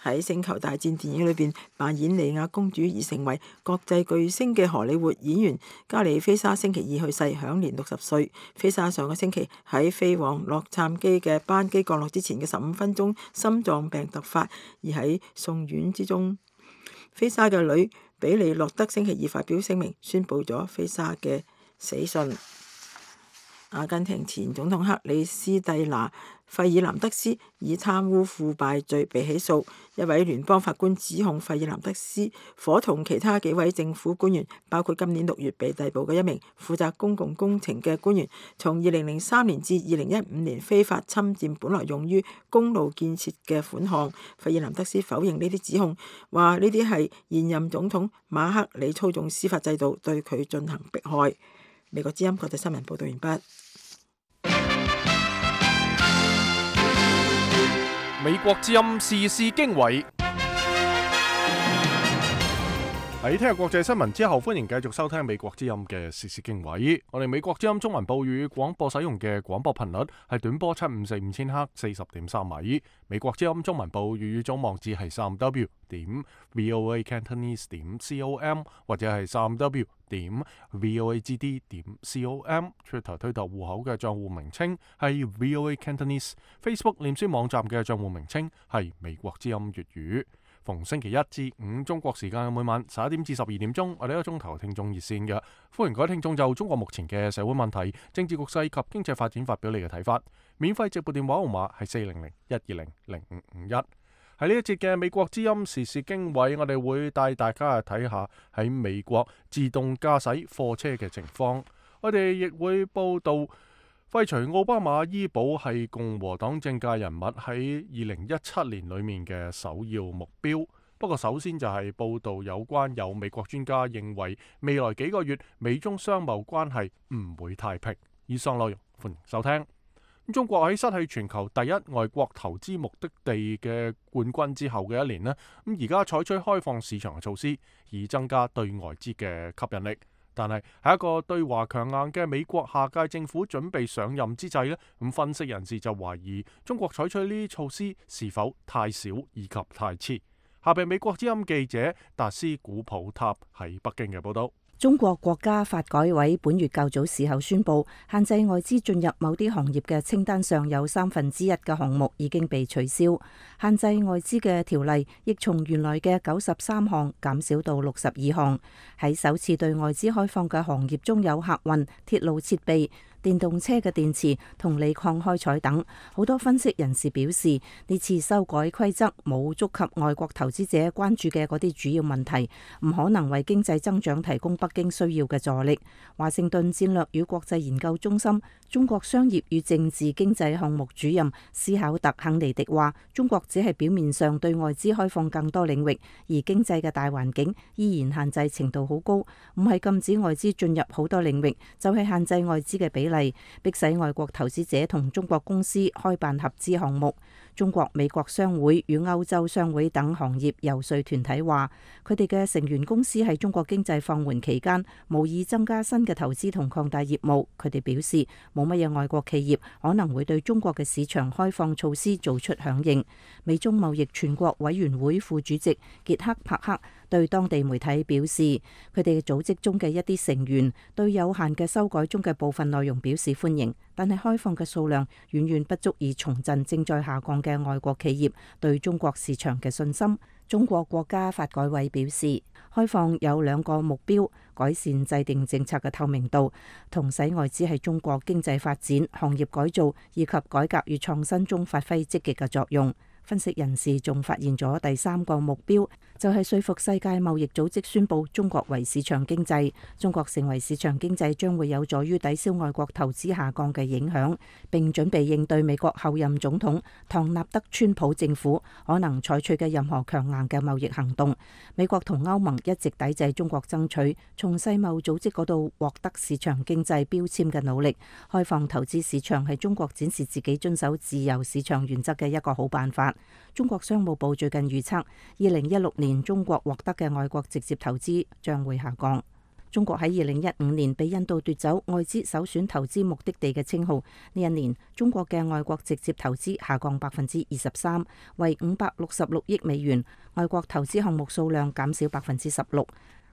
喺《星球大戰》電影裏邊扮演莉亞公主而成為國際巨星嘅荷里活演員加里菲莎星期二去世，享年60歲。菲莎上個星期喺飛往洛杉磯嘅班機降落之前嘅15分鐘心臟病突發，而喺送院之中。菲莎嘅女比利洛德星期二發表聲明，宣佈咗菲莎嘅死訊。阿根廷前總統克里斯蒂娜·費爾南德斯以貪污腐敗罪被起訴。一位聯邦法官指控費爾南德斯夥同其他幾位政府官員，包括今年6月被逮捕嘅一名負責公共工程嘅官員，從2003年至2015年非法侵佔本來用於公路建設嘅款項。費爾南德斯否認呢啲指控，話呢啲係現任總統馬克里操縱司法制度對佢進行迫害。美國之音國際新聞報道完畢。美國之音時事經緯。喺聽日國際新聞之後，歡迎繼續收聽美國之音嘅時事經緯。我哋美國之音中文部粵語廣播使用嘅廣播頻率係短波7545千赫40.3米。美國之音中文部粵語總網址係3w.voacantonese.com 或者係3w.voagd.com。Twitter 推特戶口嘅賬戶名稱係 VOA Cantonese。Facebook 臉書網站嘅賬戶名稱係美國之音粵語。逢星期一至五中國時間每晚11點至12點鐘，我哋一個鐘頭聽眾熱線嘅，歡迎各位聽眾就中國目前嘅社會問題、政治局勢及經濟發展發表你嘅睇法。免費直撥電話號碼係400-120-0551。喺呢一節嘅美國之音時事經緯，我哋會帶大家去睇下喺美國自動駕駛貨車嘅情況。我哋亦會報道廢除奧巴馬醫保係共和黨政界人物喺2017年裏面嘅首要目標。不過首先就係報道有關有美國專家認為未來幾個月美中商貿關係唔會太平。以上內容歡迎收聽。中國喺失去全球第一外國投資目的地嘅冠軍之後嘅一年呢，而家採取開放市場嘅措施，以增加對外資嘅吸引力。但係喺一個對華強硬嘅美國下屆政府準備上任之際呢，咁分析人士就懷疑中國採取呢啲措施是否太少以及太遲。下邊美國之音記者達斯古普塔喺北京嘅報道。中國國家發改委本月較早時候宣布，限制外資進入某啲行業嘅清單上有1/3嘅項目已經被取消，限制外資嘅條例亦從原來嘅93項減少到62項。喺首次對外資開放嘅行業中有客運、鐵路設備、電動車嘅電池同鋰礦開採等。好多分析人士表示，呢次修改規則冇觸及外國投資者關注嘅嗰啲主要問題，唔可能為經濟增長提供北京需要嘅助力。華盛頓戰略與國際研究中心中國商業與政治經濟項目主任斯考特肯尼迪話，中國只係表面上對外資開放更多領域，而經濟嘅大環境依然限制程度好高，唔係禁止外資進入好多領域，就係限制外資嘅比例，迫使外國投資者同中國公司開辦合資項目。中國、美國商會與歐洲商會等行業游說團體話，佢哋嘅成員公司喺中國經濟放緩期間無意增加新嘅投資同擴大業務。佢哋表示，冇乜嘢外國企業可能會對中國嘅市場開放措施做出響應。美中貿易全國委員會副主席傑克帕克對當地媒體表示，佢哋組織中嘅一啲成員對有限嘅修改中嘅部分內容表示歡迎，但係開放嘅數量遠遠不足以重振正在下降嘅外國企業對中國市場嘅信心。中國國家發改委表示，開放有2個目標：改善制定政策嘅透明度，同使外資喺中國經濟發展、行業改造以及改革與創新中發揮積極嘅作用。分析人士仲發現咗第3個目標，就係說服世界貿易組織宣布中國為市場經濟。中國成為市場經濟將會有助於抵消外國投資下降嘅影響，並準備應對美國後任總統唐納德川普政府可能採取嘅任何強硬嘅貿易行動。美國同歐盟一直抵制中國爭取從世貿組織嗰度獲得市場經濟標籤嘅努力。開放投資市場係中國展示自己遵守自由市場原則嘅一個好辦法。中國商務部最近預測，2016年中國獲得嘅外國直接投資將會下降。中國喺2015年被印度奪走外資首選投資目的地嘅稱號，呢一年中國嘅外國直接投資下降23%，為566億美元，外國投資項目數量減少16%。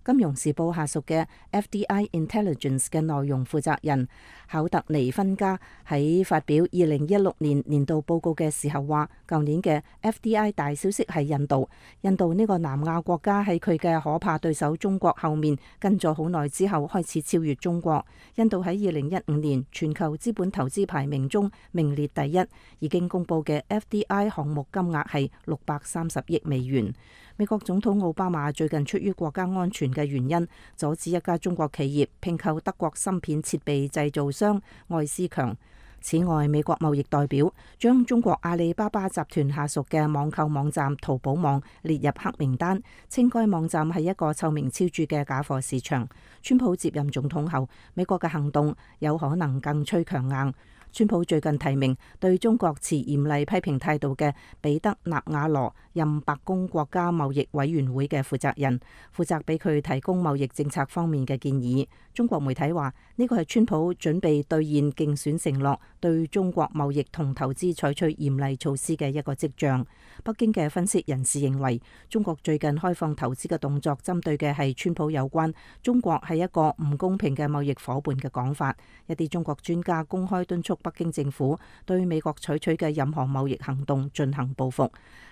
金融時報下屬嘅 FDI Intelligence 嘅內容負責人考特尼芬加喺發表2016年年度報告嘅時候話，舊年嘅 FDI 大消息係印度。印度呢個南亞國家喺佢嘅可怕對手中國後面跟咗好耐之後開始超越中國。印度喺2015年全球資本投資排名中名列第一，已經公佈嘅 FDI 項目金額係630億美元。美國總統奧巴馬最近出於國家安全嘅原因，阻止一家中國企業併購德國芯片設備製造商愛思強。此外，美國貿易代表將中國阿里巴巴集團下屬嘅網購網站淘寶網列入黑名單，稱該網站係一個臭名昭著嘅假貨市場。川普接任總統後，美國嘅行動有可能更趨強硬。川普最近提名對中國持嚴厲批評態度嘅彼得納瓦羅任白宮國家貿易委員會嘅負責人，負責俾佢提供貿易政策方面嘅建議。中國媒體話呢個係川普準備兌現競選承諾，對中國貿易同投資採取嚴厲措施嘅一個跡象。北京嘅分析人士認為，中國最近開放投資嘅動作針對嘅係川普有關中國係一個唔公平嘅貿易夥伴嘅講法。一啲中國專家公開敦促北京政府對美國採取嘅任何貿易行動進行報復。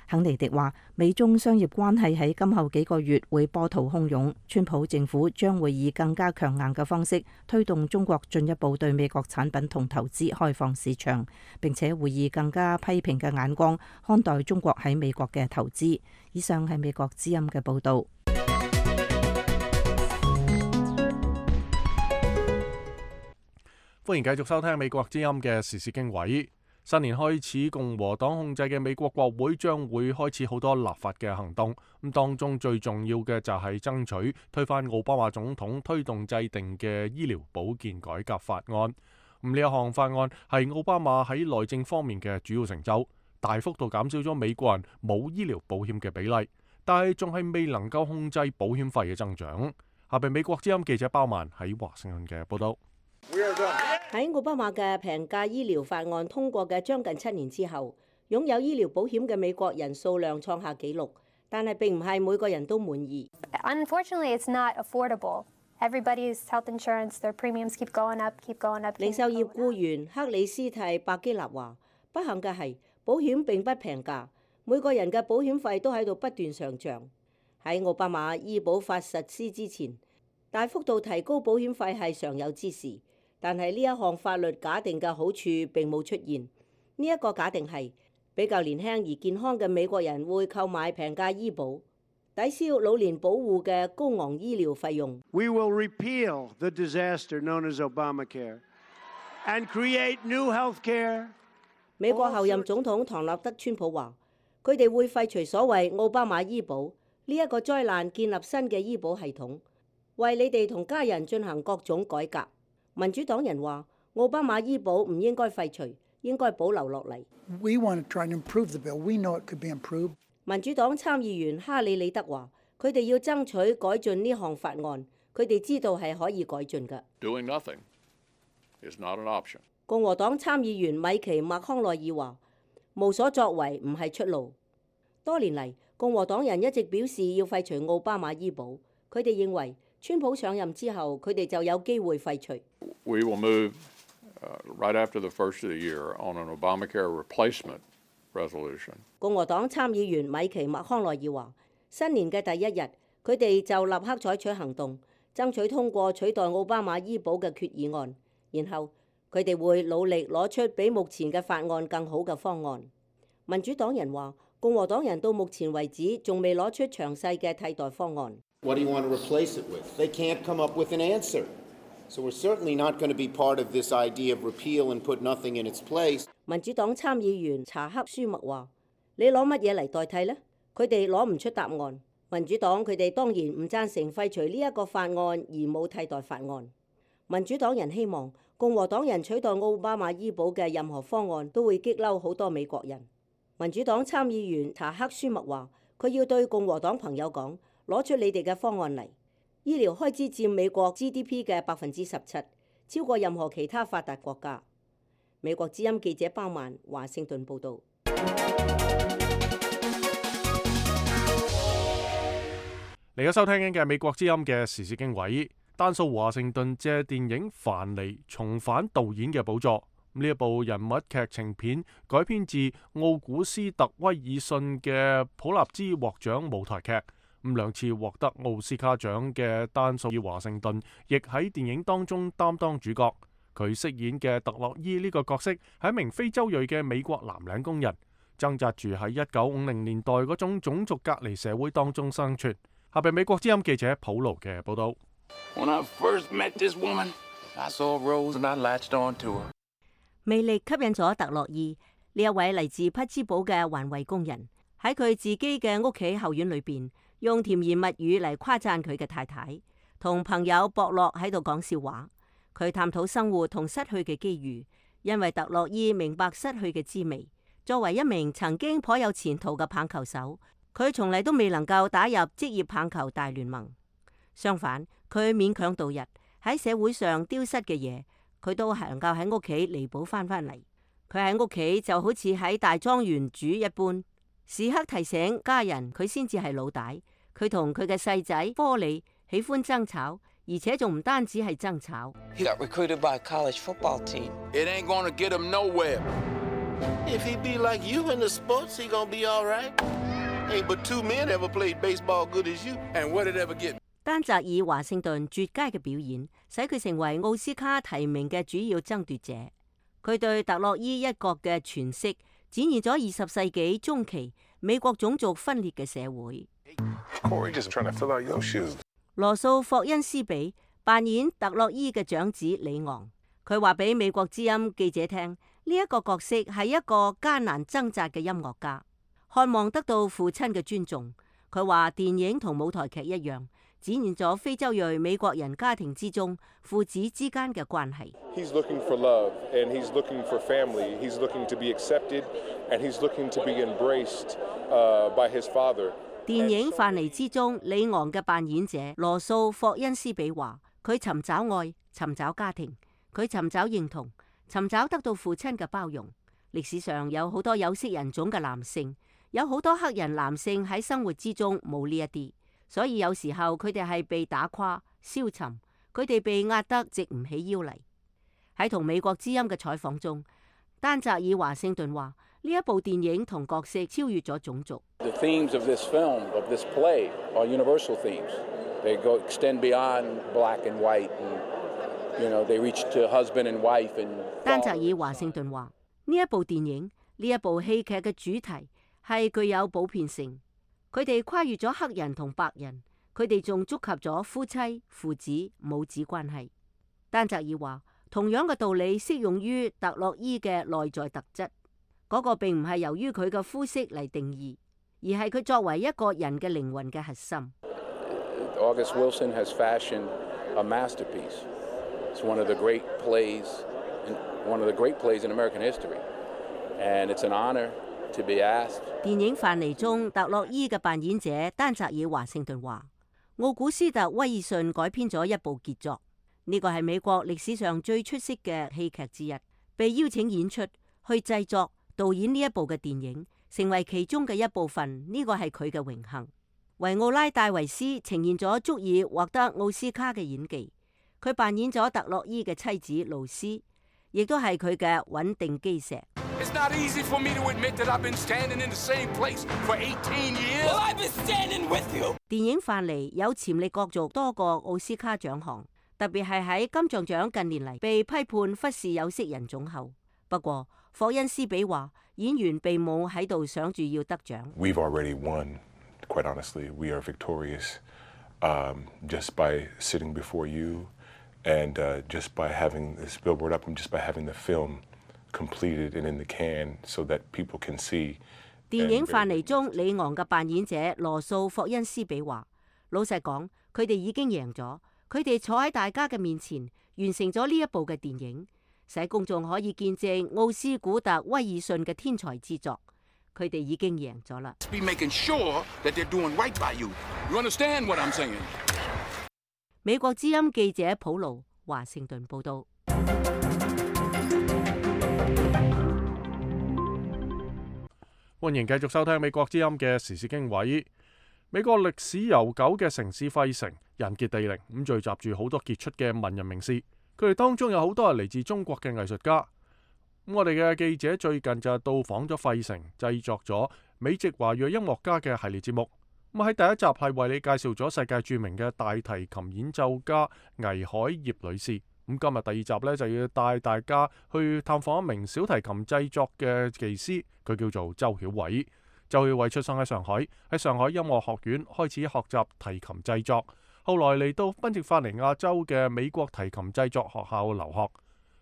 肯尼迪話，美中商業關係喺今後幾個月會波濤洶湧，川普政府將會以更加強硬嘅方式推動中國進一步對美國產品同投資開放市場，並且會以更加批評嘅眼光看待中國喺美國嘅投資。以上係美國之音嘅報導。歡迎繼續收聽美國之音嘅時事經緯。新年開始，共和黨控制嘅美國國會將會開始好多立法嘅行動。咁當中最重要嘅就係爭取推翻奧巴馬總統推動制定嘅醫療保健改革法案。咁呢一項法案係奧巴馬喺內政方面嘅主要成就，大幅度減少咗美國人冇醫療保險嘅比例，但係仲係未能夠控制保險費嘅增長。下邊美國之音記者包曼喺華盛頓嘅報道。喺奧巴馬嘅平價醫療法案通過嘅將近7年之後，擁有醫療保險嘅美國人數量創下紀錄，但係並唔係每個人都滿意。Unfortunately, it's not affordable. Everybody's health insurance, their premiums keep going up, keep going up. 零售業僱員克里斯蒂白基納話：不幸嘅係保險並不平價，每個人嘅保險費都喺度不斷上漲。喺奧巴馬醫保法實施之前，大幅度提高保險費係常有之事。但係呢一項法律假定嘅好處並冇出現。呢一個假定係比較年輕而健康嘅美國人會購買平價醫保，抵消老年保護嘅高昂醫療費用。We will repeal the disaster known as Obamacare and create new health care. 美國後任總統唐納德·川普話：佢哋會廢除所謂奧巴馬醫保呢一個災難，建立新嘅醫保系統，為你哋同家人進行各種改革。民主黨人話奧巴馬醫保唔應該廢除，應該保留落嚟。We want to try and improve the bill. We know it could be improved. 民主黨參議員哈里里德話：佢哋要爭取改進呢項法案，佢哋知道係可以改進嘅。Doing nothing is not an option. 共和黨參議員米奇麥康奈爾話：無所作為唔係出路。多年嚟，共和黨人一直表示要廢除奧巴馬醫保，佢哋認為川普上任之後，佢哋就有機會廢除。We will move right after the first of the year on an Obamacare replacement resolution. 共和黨參議員米奇麥康奈爾話：新年嘅第一日，佢哋就立刻採取行動，爭取通過取代奧巴馬醫保嘅決議案。然後佢哋會努力攞出比目前嘅法案更好嘅方案。民主黨人話：共和黨人到目前為止仲未攞出詳細嘅替代方案。What do you want to replace it with? They can't come up with an answer. So we're certainly not going to be part of this idea of repeal and put nothing in its place. 民主黨參議員查克舒默話：你攞乜嘢嚟代替呢？佢哋攞唔出答案。民主黨佢哋當然唔贊成廢除呢一個法案，而冇替代法案。民主黨人希望共和黨人取代奧巴馬醫保嘅任何方案都會激嬲好多美國人。民主黨參議員查克舒默話：佢要對共和黨朋友講，攞出你哋嘅方案嚟。醫療開支佔美國 GDP 嘅17%，超過任何其他發達國家。美國之音記者包曼華盛頓報導。嚟家收聽緊嘅美國之音嘅時事經緯，丹素華盛頓借電影《樊妮》重返導演嘅寶座。呢一部人物劇情片改編自奧古斯特威爾遜嘅普立茲獲獎舞台劇，兩次獲得奧斯卡獎嘅丹素爾華盛頓亦喺電影當中擔當主角。佢飾演嘅特洛伊呢個角色係一名非洲裔嘅美國藍領工人，掙扎住喺1950年代嗰種種族隔離社會當中生存。下邊美國之音記者普勞嘅報道。魅力吸引咗特洛伊呢一位嚟自匹茲堡嘅環衛工人，喺佢自己嘅屋企後院裏邊，用甜言蜜語嚟誇讚佢嘅太太，同朋友博洛喺度講笑話。佢探討生活同失去嘅機遇，因為特洛伊明白失去嘅滋味。作為一名曾經頗有前途嘅棒球手，佢從嚟都未能夠打入職業棒球大聯盟。相反，佢勉強度日，喺社會上丟失嘅嘢，佢都係能夠喺屋企彌補翻嚟。佢喺屋企就好似喺大莊園主一般，時刻提醒家人佢先至係老大。佢同佢嘅細仔科里喜歡爭吵，而且仲唔單止係爭吵。He got recruited by a college football team. It ain't gonna get him nowhere. If he be like you in the sports, he gonna be all right. Ain't but two men ever played baseball good as you. And what did ever get? 丹澤爾華盛頓絕佳嘅表演，使佢成為奧斯卡提名嘅主要爭奪者。佢對特洛伊一角嘅詮釋，展現咗20世紀中期美國種族分裂嘅社會。羅素霍恩斯比扮演特洛伊嘅長子里昂，佢話俾美國之音記者聽，呢一個角色係一個艱難掙扎嘅音樂家，渴望得到父親嘅尊重。佢話電影同舞台劇一樣，展現咗非洲裔美國人家庭之中父子之間嘅關係。He's looking for love, and he's looking for family. He's looking to be accepted, and he's looking to be embraced by his father. 電影《樊妮》之中，里昂嘅扮演者羅素霍恩斯比話：佢尋找愛，尋找家庭，佢尋找認同，尋找得到父親嘅包容。歷史上有好多有色人種嘅男性，有好多黑人男性喺生活之中冇呢一啲。所以有時候佢哋係被打垮、消沉，佢哋被壓得直唔起腰嚟。喺同美國之音嘅採訪中，丹澤爾華盛頓話：呢一部電影同角色超越咗種族。The themes of this film, of this play, are universal themes. They go extend beyond black and white, and you know they reach to husband and wife and. 丹澤爾華盛頓話：呢一部電影、呢一部戲劇嘅主題係具有普遍性。佢哋跨越咗黑人同白人，佢哋仲觸及咗夫妻、父子、母子關係。丹澤爾話，同樣嘅道理適用於特洛伊嘅內在特質，嗰個並唔係由於佢嘅膚色嚟定義，而係佢作為一個人嘅靈魂嘅核心。August Wilson has fashioned a masterpiece. It's one of the great plays, one of the great plays in American history, and it's an honor.電影《樊妮》中特洛伊嘅扮演者丹澤爾華盛頓話：奧古斯特威爾遜改編咗一部傑作，呢個係美國歷史上最出色嘅戲劇之一，被邀請演出去製作導演呢一部嘅電影，成為其中嘅一部分，呢個係佢嘅榮幸。維奧拉戴維斯呈現咗足以獲得奧斯卡嘅演技，佢扮演咗特洛伊嘅妻子露絲，亦都係佢嘅穩定基石。It's not easy for me to admit that I've been standing in the same place for 18 years. Well, I've been standing with you. 電影《樊妮》有潛力角逐多個奧斯卡獎項，特別係喺金像獎近年嚟被批判忽視有色人種後。不過，霍恩斯比話演員並冇喺度想住要得獎。We've already won, quite honestly. We are victorious just by sitting before you and just by having this billboard up and just by having the film.completed and in the can so that people can see. 電影《樊妮》中里昂嘅扮演者羅素霍恩斯比話：老實講，佢哋已經贏咗，佢哋坐喺大家嘅面前，完成咗呢一部嘅電影，使公眾可以見證奧斯古特威爾遜嘅天才之作。佢哋已經贏咗啦。美國之音記者普魯華盛頓報道。歡迎繼續收聽美國之音嘅時事經緯。美國歷史悠久嘅城市費城人傑地靈，咁聚集住好多傑出嘅文人名士，佢哋當中有好多係嚟自中國嘅藝術家。咁我哋嘅記者最近就到訪咗費城，製作咗美籍華裔音樂家嘅系列節目。咁喺第一集係為你介紹咗世界著名嘅大提琴演奏家倪海燁女士。咁今日第二集呢，就要帶大家去探訪一名小提琴製作嘅技師，佢叫做周曉偉。周曉偉出生喺上海，喺上海音樂學院開始學習提琴製作，後來嚟到賓夕法尼亞州嘅美國提琴製作學校留學。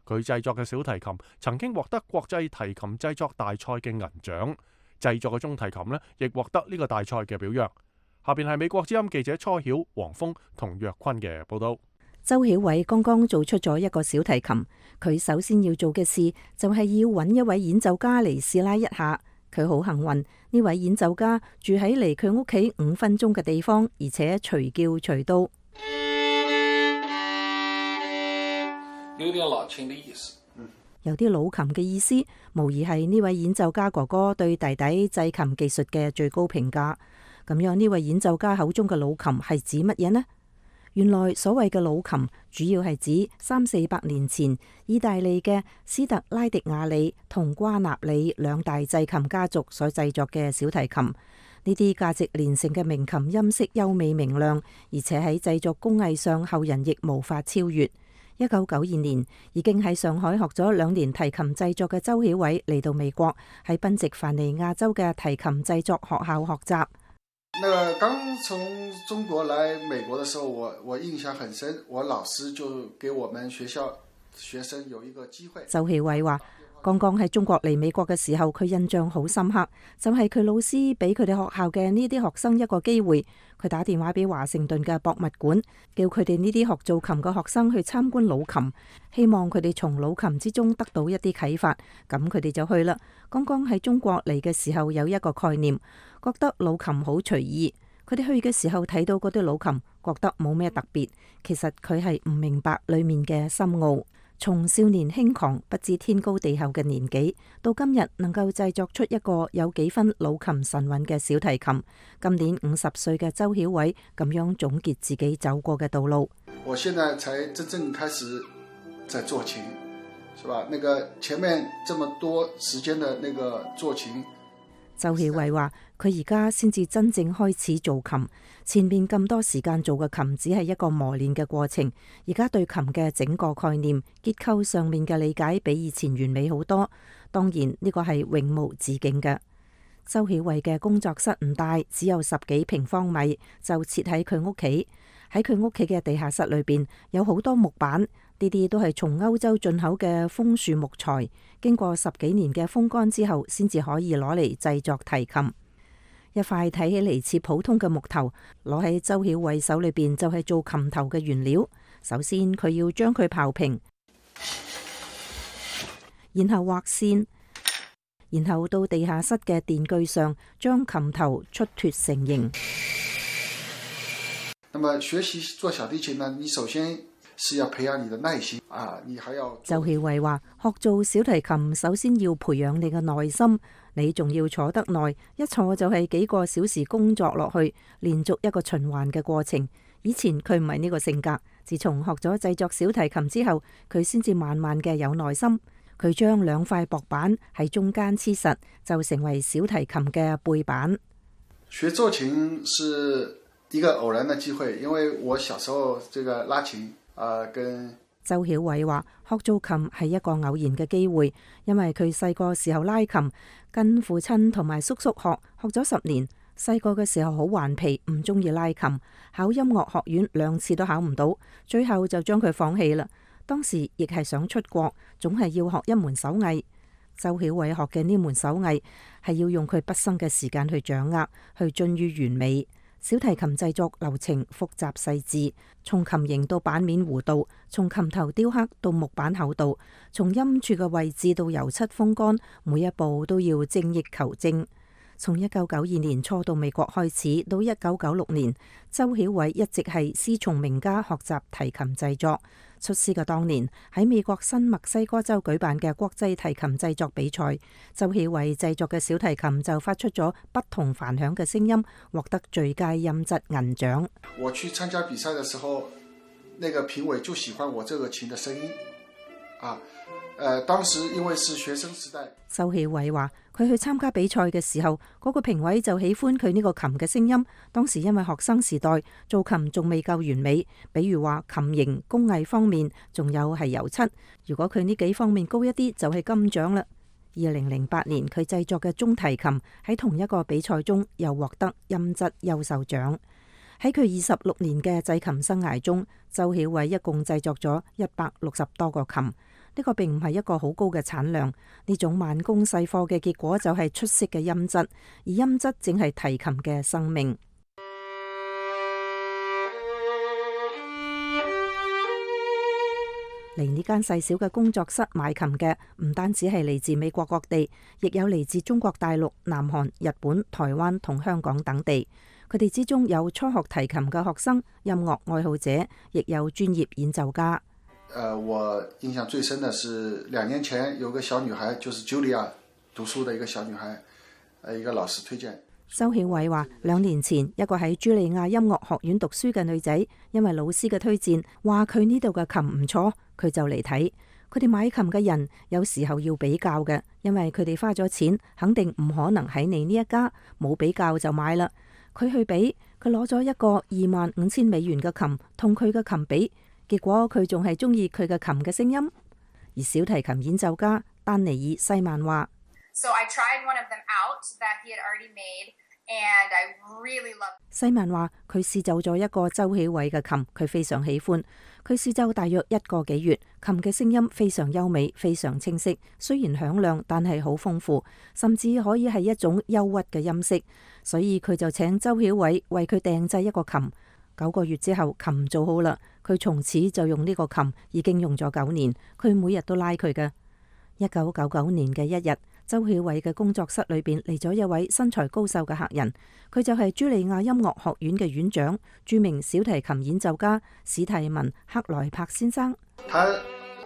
佢製作嘅小提琴曾經獲得國際提琴製作大賽嘅銀獎，製作嘅中提琴呢亦獲得呢個大賽嘅表揚。下邊係美國之音記者初曉、黃峰同若坤嘅報道。周曉偉剛剛做出咗一個小提琴，佢首先要做嘅事就係要揾一位演奏家嚟試拉一下。佢好幸運，呢位演奏家住喺離佢屋企5分鐘嘅地方，而且隨叫隨到。有點老琴的意思，有啲老琴嘅意思，無疑係呢位演奏家哥哥對弟弟製琴技術嘅最高評價。咁樣呢位演奏家口中嘅老琴係指乜嘢呢？原來所謂嘅老琴主要係指300-400年前意大利嘅斯特拉迪瓦里同瓜納里兩大製琴家族所製作嘅小提琴。呢啲價值連城嘅名琴音色優美明亮，而且喺製作工藝上後人亦無法超越。1992年已經喺上海學咗2年提琴製作嘅周曉偉嚟到美國，喺賓夕凡尼亞州嘅提琴製作學校學習。那個剛從中國來美國的時候，我印象很深，我老師就給我們學校學生有一個機會。周曉偉話：剛剛喺中國嚟美國嘅時候，佢印象好深刻，就係佢老師俾佢哋學校嘅呢啲學生一個機會。佢打電話俾華盛頓嘅博物館，叫佢哋呢啲學做琴嘅學生去參觀老琴，希望佢哋從老琴之中得到一啲啟發。咁佢哋就去啦。剛剛喺中國嚟嘅時候有一個概念，覺得老琴好隨意。佢哋去嘅時候睇到嗰啲老琴，覺得冇咩特別。其實佢係唔明白裏面嘅深奧。從少年輕狂不知天高地厚嘅年紀，到今日能夠製作出一個有幾分老琴神韻嘅小提琴。今年50歲嘅周曉偉咁樣總結自己走過嘅道路。我現在才真正開始在做琴，是吧？那個前面這麼多時間的那個做琴。周曉偉話：佢而家先至真正開始做琴，前面咁多時間做嘅琴只係一個磨練嘅過程。而家對琴嘅整個概念、結構上面嘅理解比以前完美好多。當然呢個係永無止境嘅。周曉偉嘅工作室唔大，只有10幾平方米，就設喺佢屋企。喺佢屋企嘅地下室裏邊有好多木板，呢啲都係從歐洲進口嘅楓樹木材，經過10幾年嘅風乾之後，先至可以攞嚟製作提琴。一塊睇起嚟似普通嘅木頭，攞喺周曉偉手裏邊就係做琴頭嘅原料。首先佢要將佢刨平，然後畫線，然後到地下室嘅電鋸上將琴頭出脫成型。那麼學習做小提琴呢，你首先是要培養你的耐心啊，你還要。周曉偉話：學做小提琴，首先要培養你嘅耐心，你仲要坐得耐，一坐就係幾個小時工作落去，連續一個循環嘅過程。以前佢唔係呢個性格，自從學咗製作小提琴之後，佢先至慢慢嘅有耐心。佢將2塊薄板喺中間黐實，就成為小提琴嘅背板。學做琴是一個偶然的機會，因為我小時候這個拉琴跟周曉偉話學做琴係一個偶然嘅機會，因為佢細個時候拉琴，跟父親同埋叔叔學咗10年。細個嘅時候好頑皮，唔中意拉琴，考音樂學院2次都考唔到，最後就將佢放棄啦。當時亦係想出國，總係要學一門手藝。周曉偉學嘅呢門手藝係要用佢畢生嘅時間去掌握，去臻於完美。小提琴製作流程複雜細緻，從琴形到板面弧度，從琴頭雕刻到木板厚度，從音柱嘅位置到油漆風乾，每一步都要精益求精。從1992年初到美國開始，到1996年，周曉偉一直係師從名家學習提琴製作。出師嘅當年，喺美國新墨西哥州舉辦嘅國際提琴製作比賽，周曉偉製作嘅小提琴就發出咗不同凡響嘅聲音，獲得最佳音質銀獎。我去參加比賽嘅時候，那個評委就喜歡我這個琴的聲音啊。當時因為是學生時代，周曉偉話佢去參加比賽嘅時候，嗰個評委就喜歡佢呢個琴嘅聲音。當時因為學生時代做琴仲未夠完美，比如話琴型工藝方面，仲有係油漆。如果佢呢幾方面高一啲，就係金獎啦。2008年佢製作嘅中提琴喺同一個比賽中又獲得音質優秀獎。喺佢26年嘅製琴生涯中，周曉偉一共製作咗160多個琴。呢個並唔係一個好高嘅產量，呢種慢工細貨嘅結果就係出色嘅音質，而音質正係提琴嘅生命。嚟呢間細小嘅工作室買琴嘅唔單止係嚟自美國各地，亦有嚟自中國大陸、南韓、日本、台灣同香港等地。佢哋之中有初學提琴嘅學生、音樂愛好者，亦有專業演奏家。我印象最深的是2年前有個小女孩，就是 Julia 讀書的一個小女孩，一個老師推薦。周曉偉話2年前一個喺茱莉亞音樂學院讀書嘅女仔，因為老師嘅推薦，話佢呢度嘅琴唔錯，佢就嚟睇。佢哋買琴嘅人有時候要比較嘅，因為佢哋花咗錢，肯定唔可能喺你呢一家冇比較就買啦。佢去比，佢攞咗一個25,000美元嘅琴同佢嘅琴比。結果佢仲係中意佢嘅琴嘅聲音。而小提琴演奏家丹尼爾西曼話西曼話佢試奏咗一個周曉偉嘅琴，佢非常喜歡。佢試奏大約1個幾月，琴嘅聲音非常優美，非常清晰，雖然響亮，但係好豐富，甚至可以係一種憂鬱嘅音色。所以佢就請周曉偉為佢訂製一個琴。9個月之後，琴做好啦。佢從此就用呢個琴，已經用咗9年。佢每日都拉佢嘅。1999年嘅一日，周曉偉嘅工作室裏邊嚟咗一位身材高瘦嘅客人，佢就係茱莉亞音樂學院嘅院長、著名小提琴演奏家史蒂文·克萊柏先生。他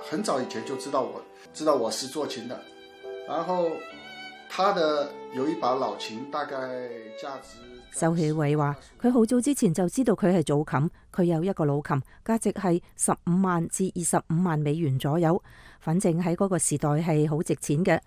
很早以前就知道我是做琴的，然後他的有一把老琴，大概價值。周曉偉話佢好早之前就知道佢係做琴，佢有一個老琴，價值係15萬至25萬美元左右，反正喺嗰個時代係好值錢嘅。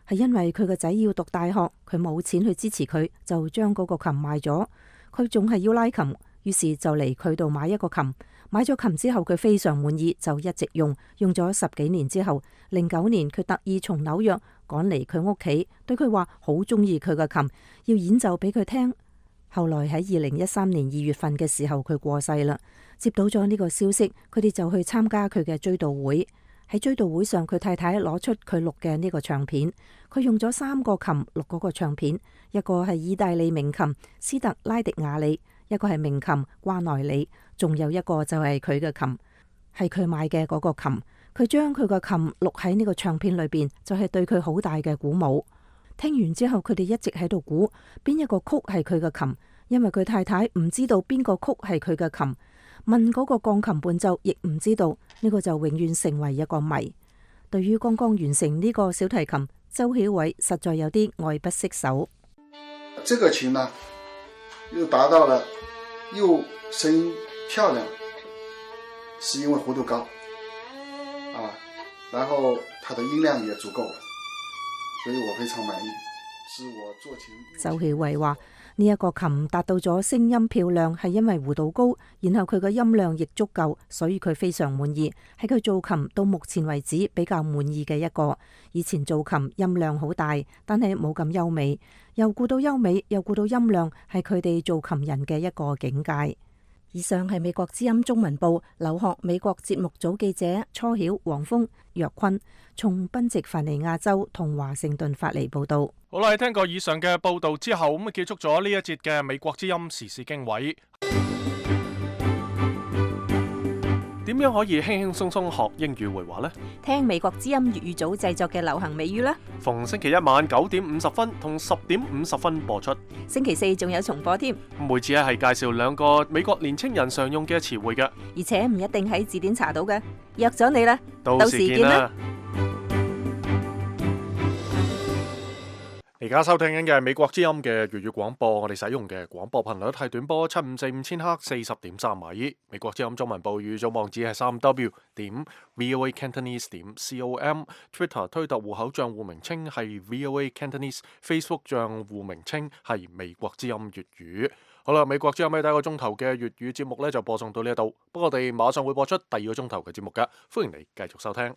係因為佢個仔要讀大學，佢冇錢去支持佢，就將嗰個琴賣咗。佢仲係要拉琴，於是就嚟佢度買一個琴。買咗琴之後，佢非常滿意，就一直用咗10幾年之後，09年佢特意從紐約趕嚟佢屋企，對佢話好中意佢個琴，要演奏俾佢聽。後來喺2013年2月份嘅時候，佢過世啦。接到咗呢個消息，佢哋就去參加佢嘅追悼會。喺追悼會上，佢太太攞出佢錄嘅呢個唱片，佢用咗3個琴錄嗰個唱片，一個係意大利名琴斯特拉迪瓦里，一個係名琴瓜內里，仲有一個就係佢嘅琴，係佢買嘅嗰個琴。佢將佢個琴錄喺呢個唱片裏邊，就係對佢好大嘅鼓舞。聽完之後，佢哋一直喺度估邊一個曲係佢嘅琴，因為佢太太唔知道邊個曲係佢嘅琴，問嗰個鋼琴伴奏亦唔知道，呢個就永遠成為一個謎。對於剛剛完成呢個小提琴，周曉偉實在有啲愛不釋手。這個琴呢，又達到了又聲音漂亮，是因為弧度高啊，然後它的音量也足夠了，所以我非常滿意，是我做琴。周曉偉話呢一個琴達到咗聲音漂亮，係因為弧度高，然後佢嘅音量亦足夠，所以佢非常滿意，係佢做琴到目前為止比較滿意嘅一個。以前做琴音量好大，但係冇咁優美，又顧到優美又顧到音量，係佢哋做琴人嘅一個境界。以上係美國之音中文部留學美國節目組記者初曉、黃峰、若坤從賓夕凡尼亞州同華盛頓發嚟報道。好啦，聽過以上嘅報道之後，咁結束咗呢一節嘅美國之音時事經緯。點樣可以輕輕鬆鬆學英語會話呢？聽美國之音粵語組製作嘅流行美語啦。逢星期一晚9:50同10:50播出。星期四仲有重播添。每次係介紹2個美國年青人常用嘅詞彙嘅，而且唔一定喺字典查到嘅。約咗你啦，到時見啦。而家收聽緊嘅係美國之音嘅粵語廣播，我哋使用嘅廣播頻率係短波7545千赫40.3米。美國之音中文部語組網址係3w.voacantonese.com，Twitter 推特戶口賬戶名稱係 VOA Cantonese，Facebook 賬戶名稱係美國之音粵語。好啦，美國之音喺第一個鐘頭嘅粵語節目咧就播送到呢一度，不過我哋馬上會播出第二個鐘頭嘅節目噶，歡迎你繼續收聽。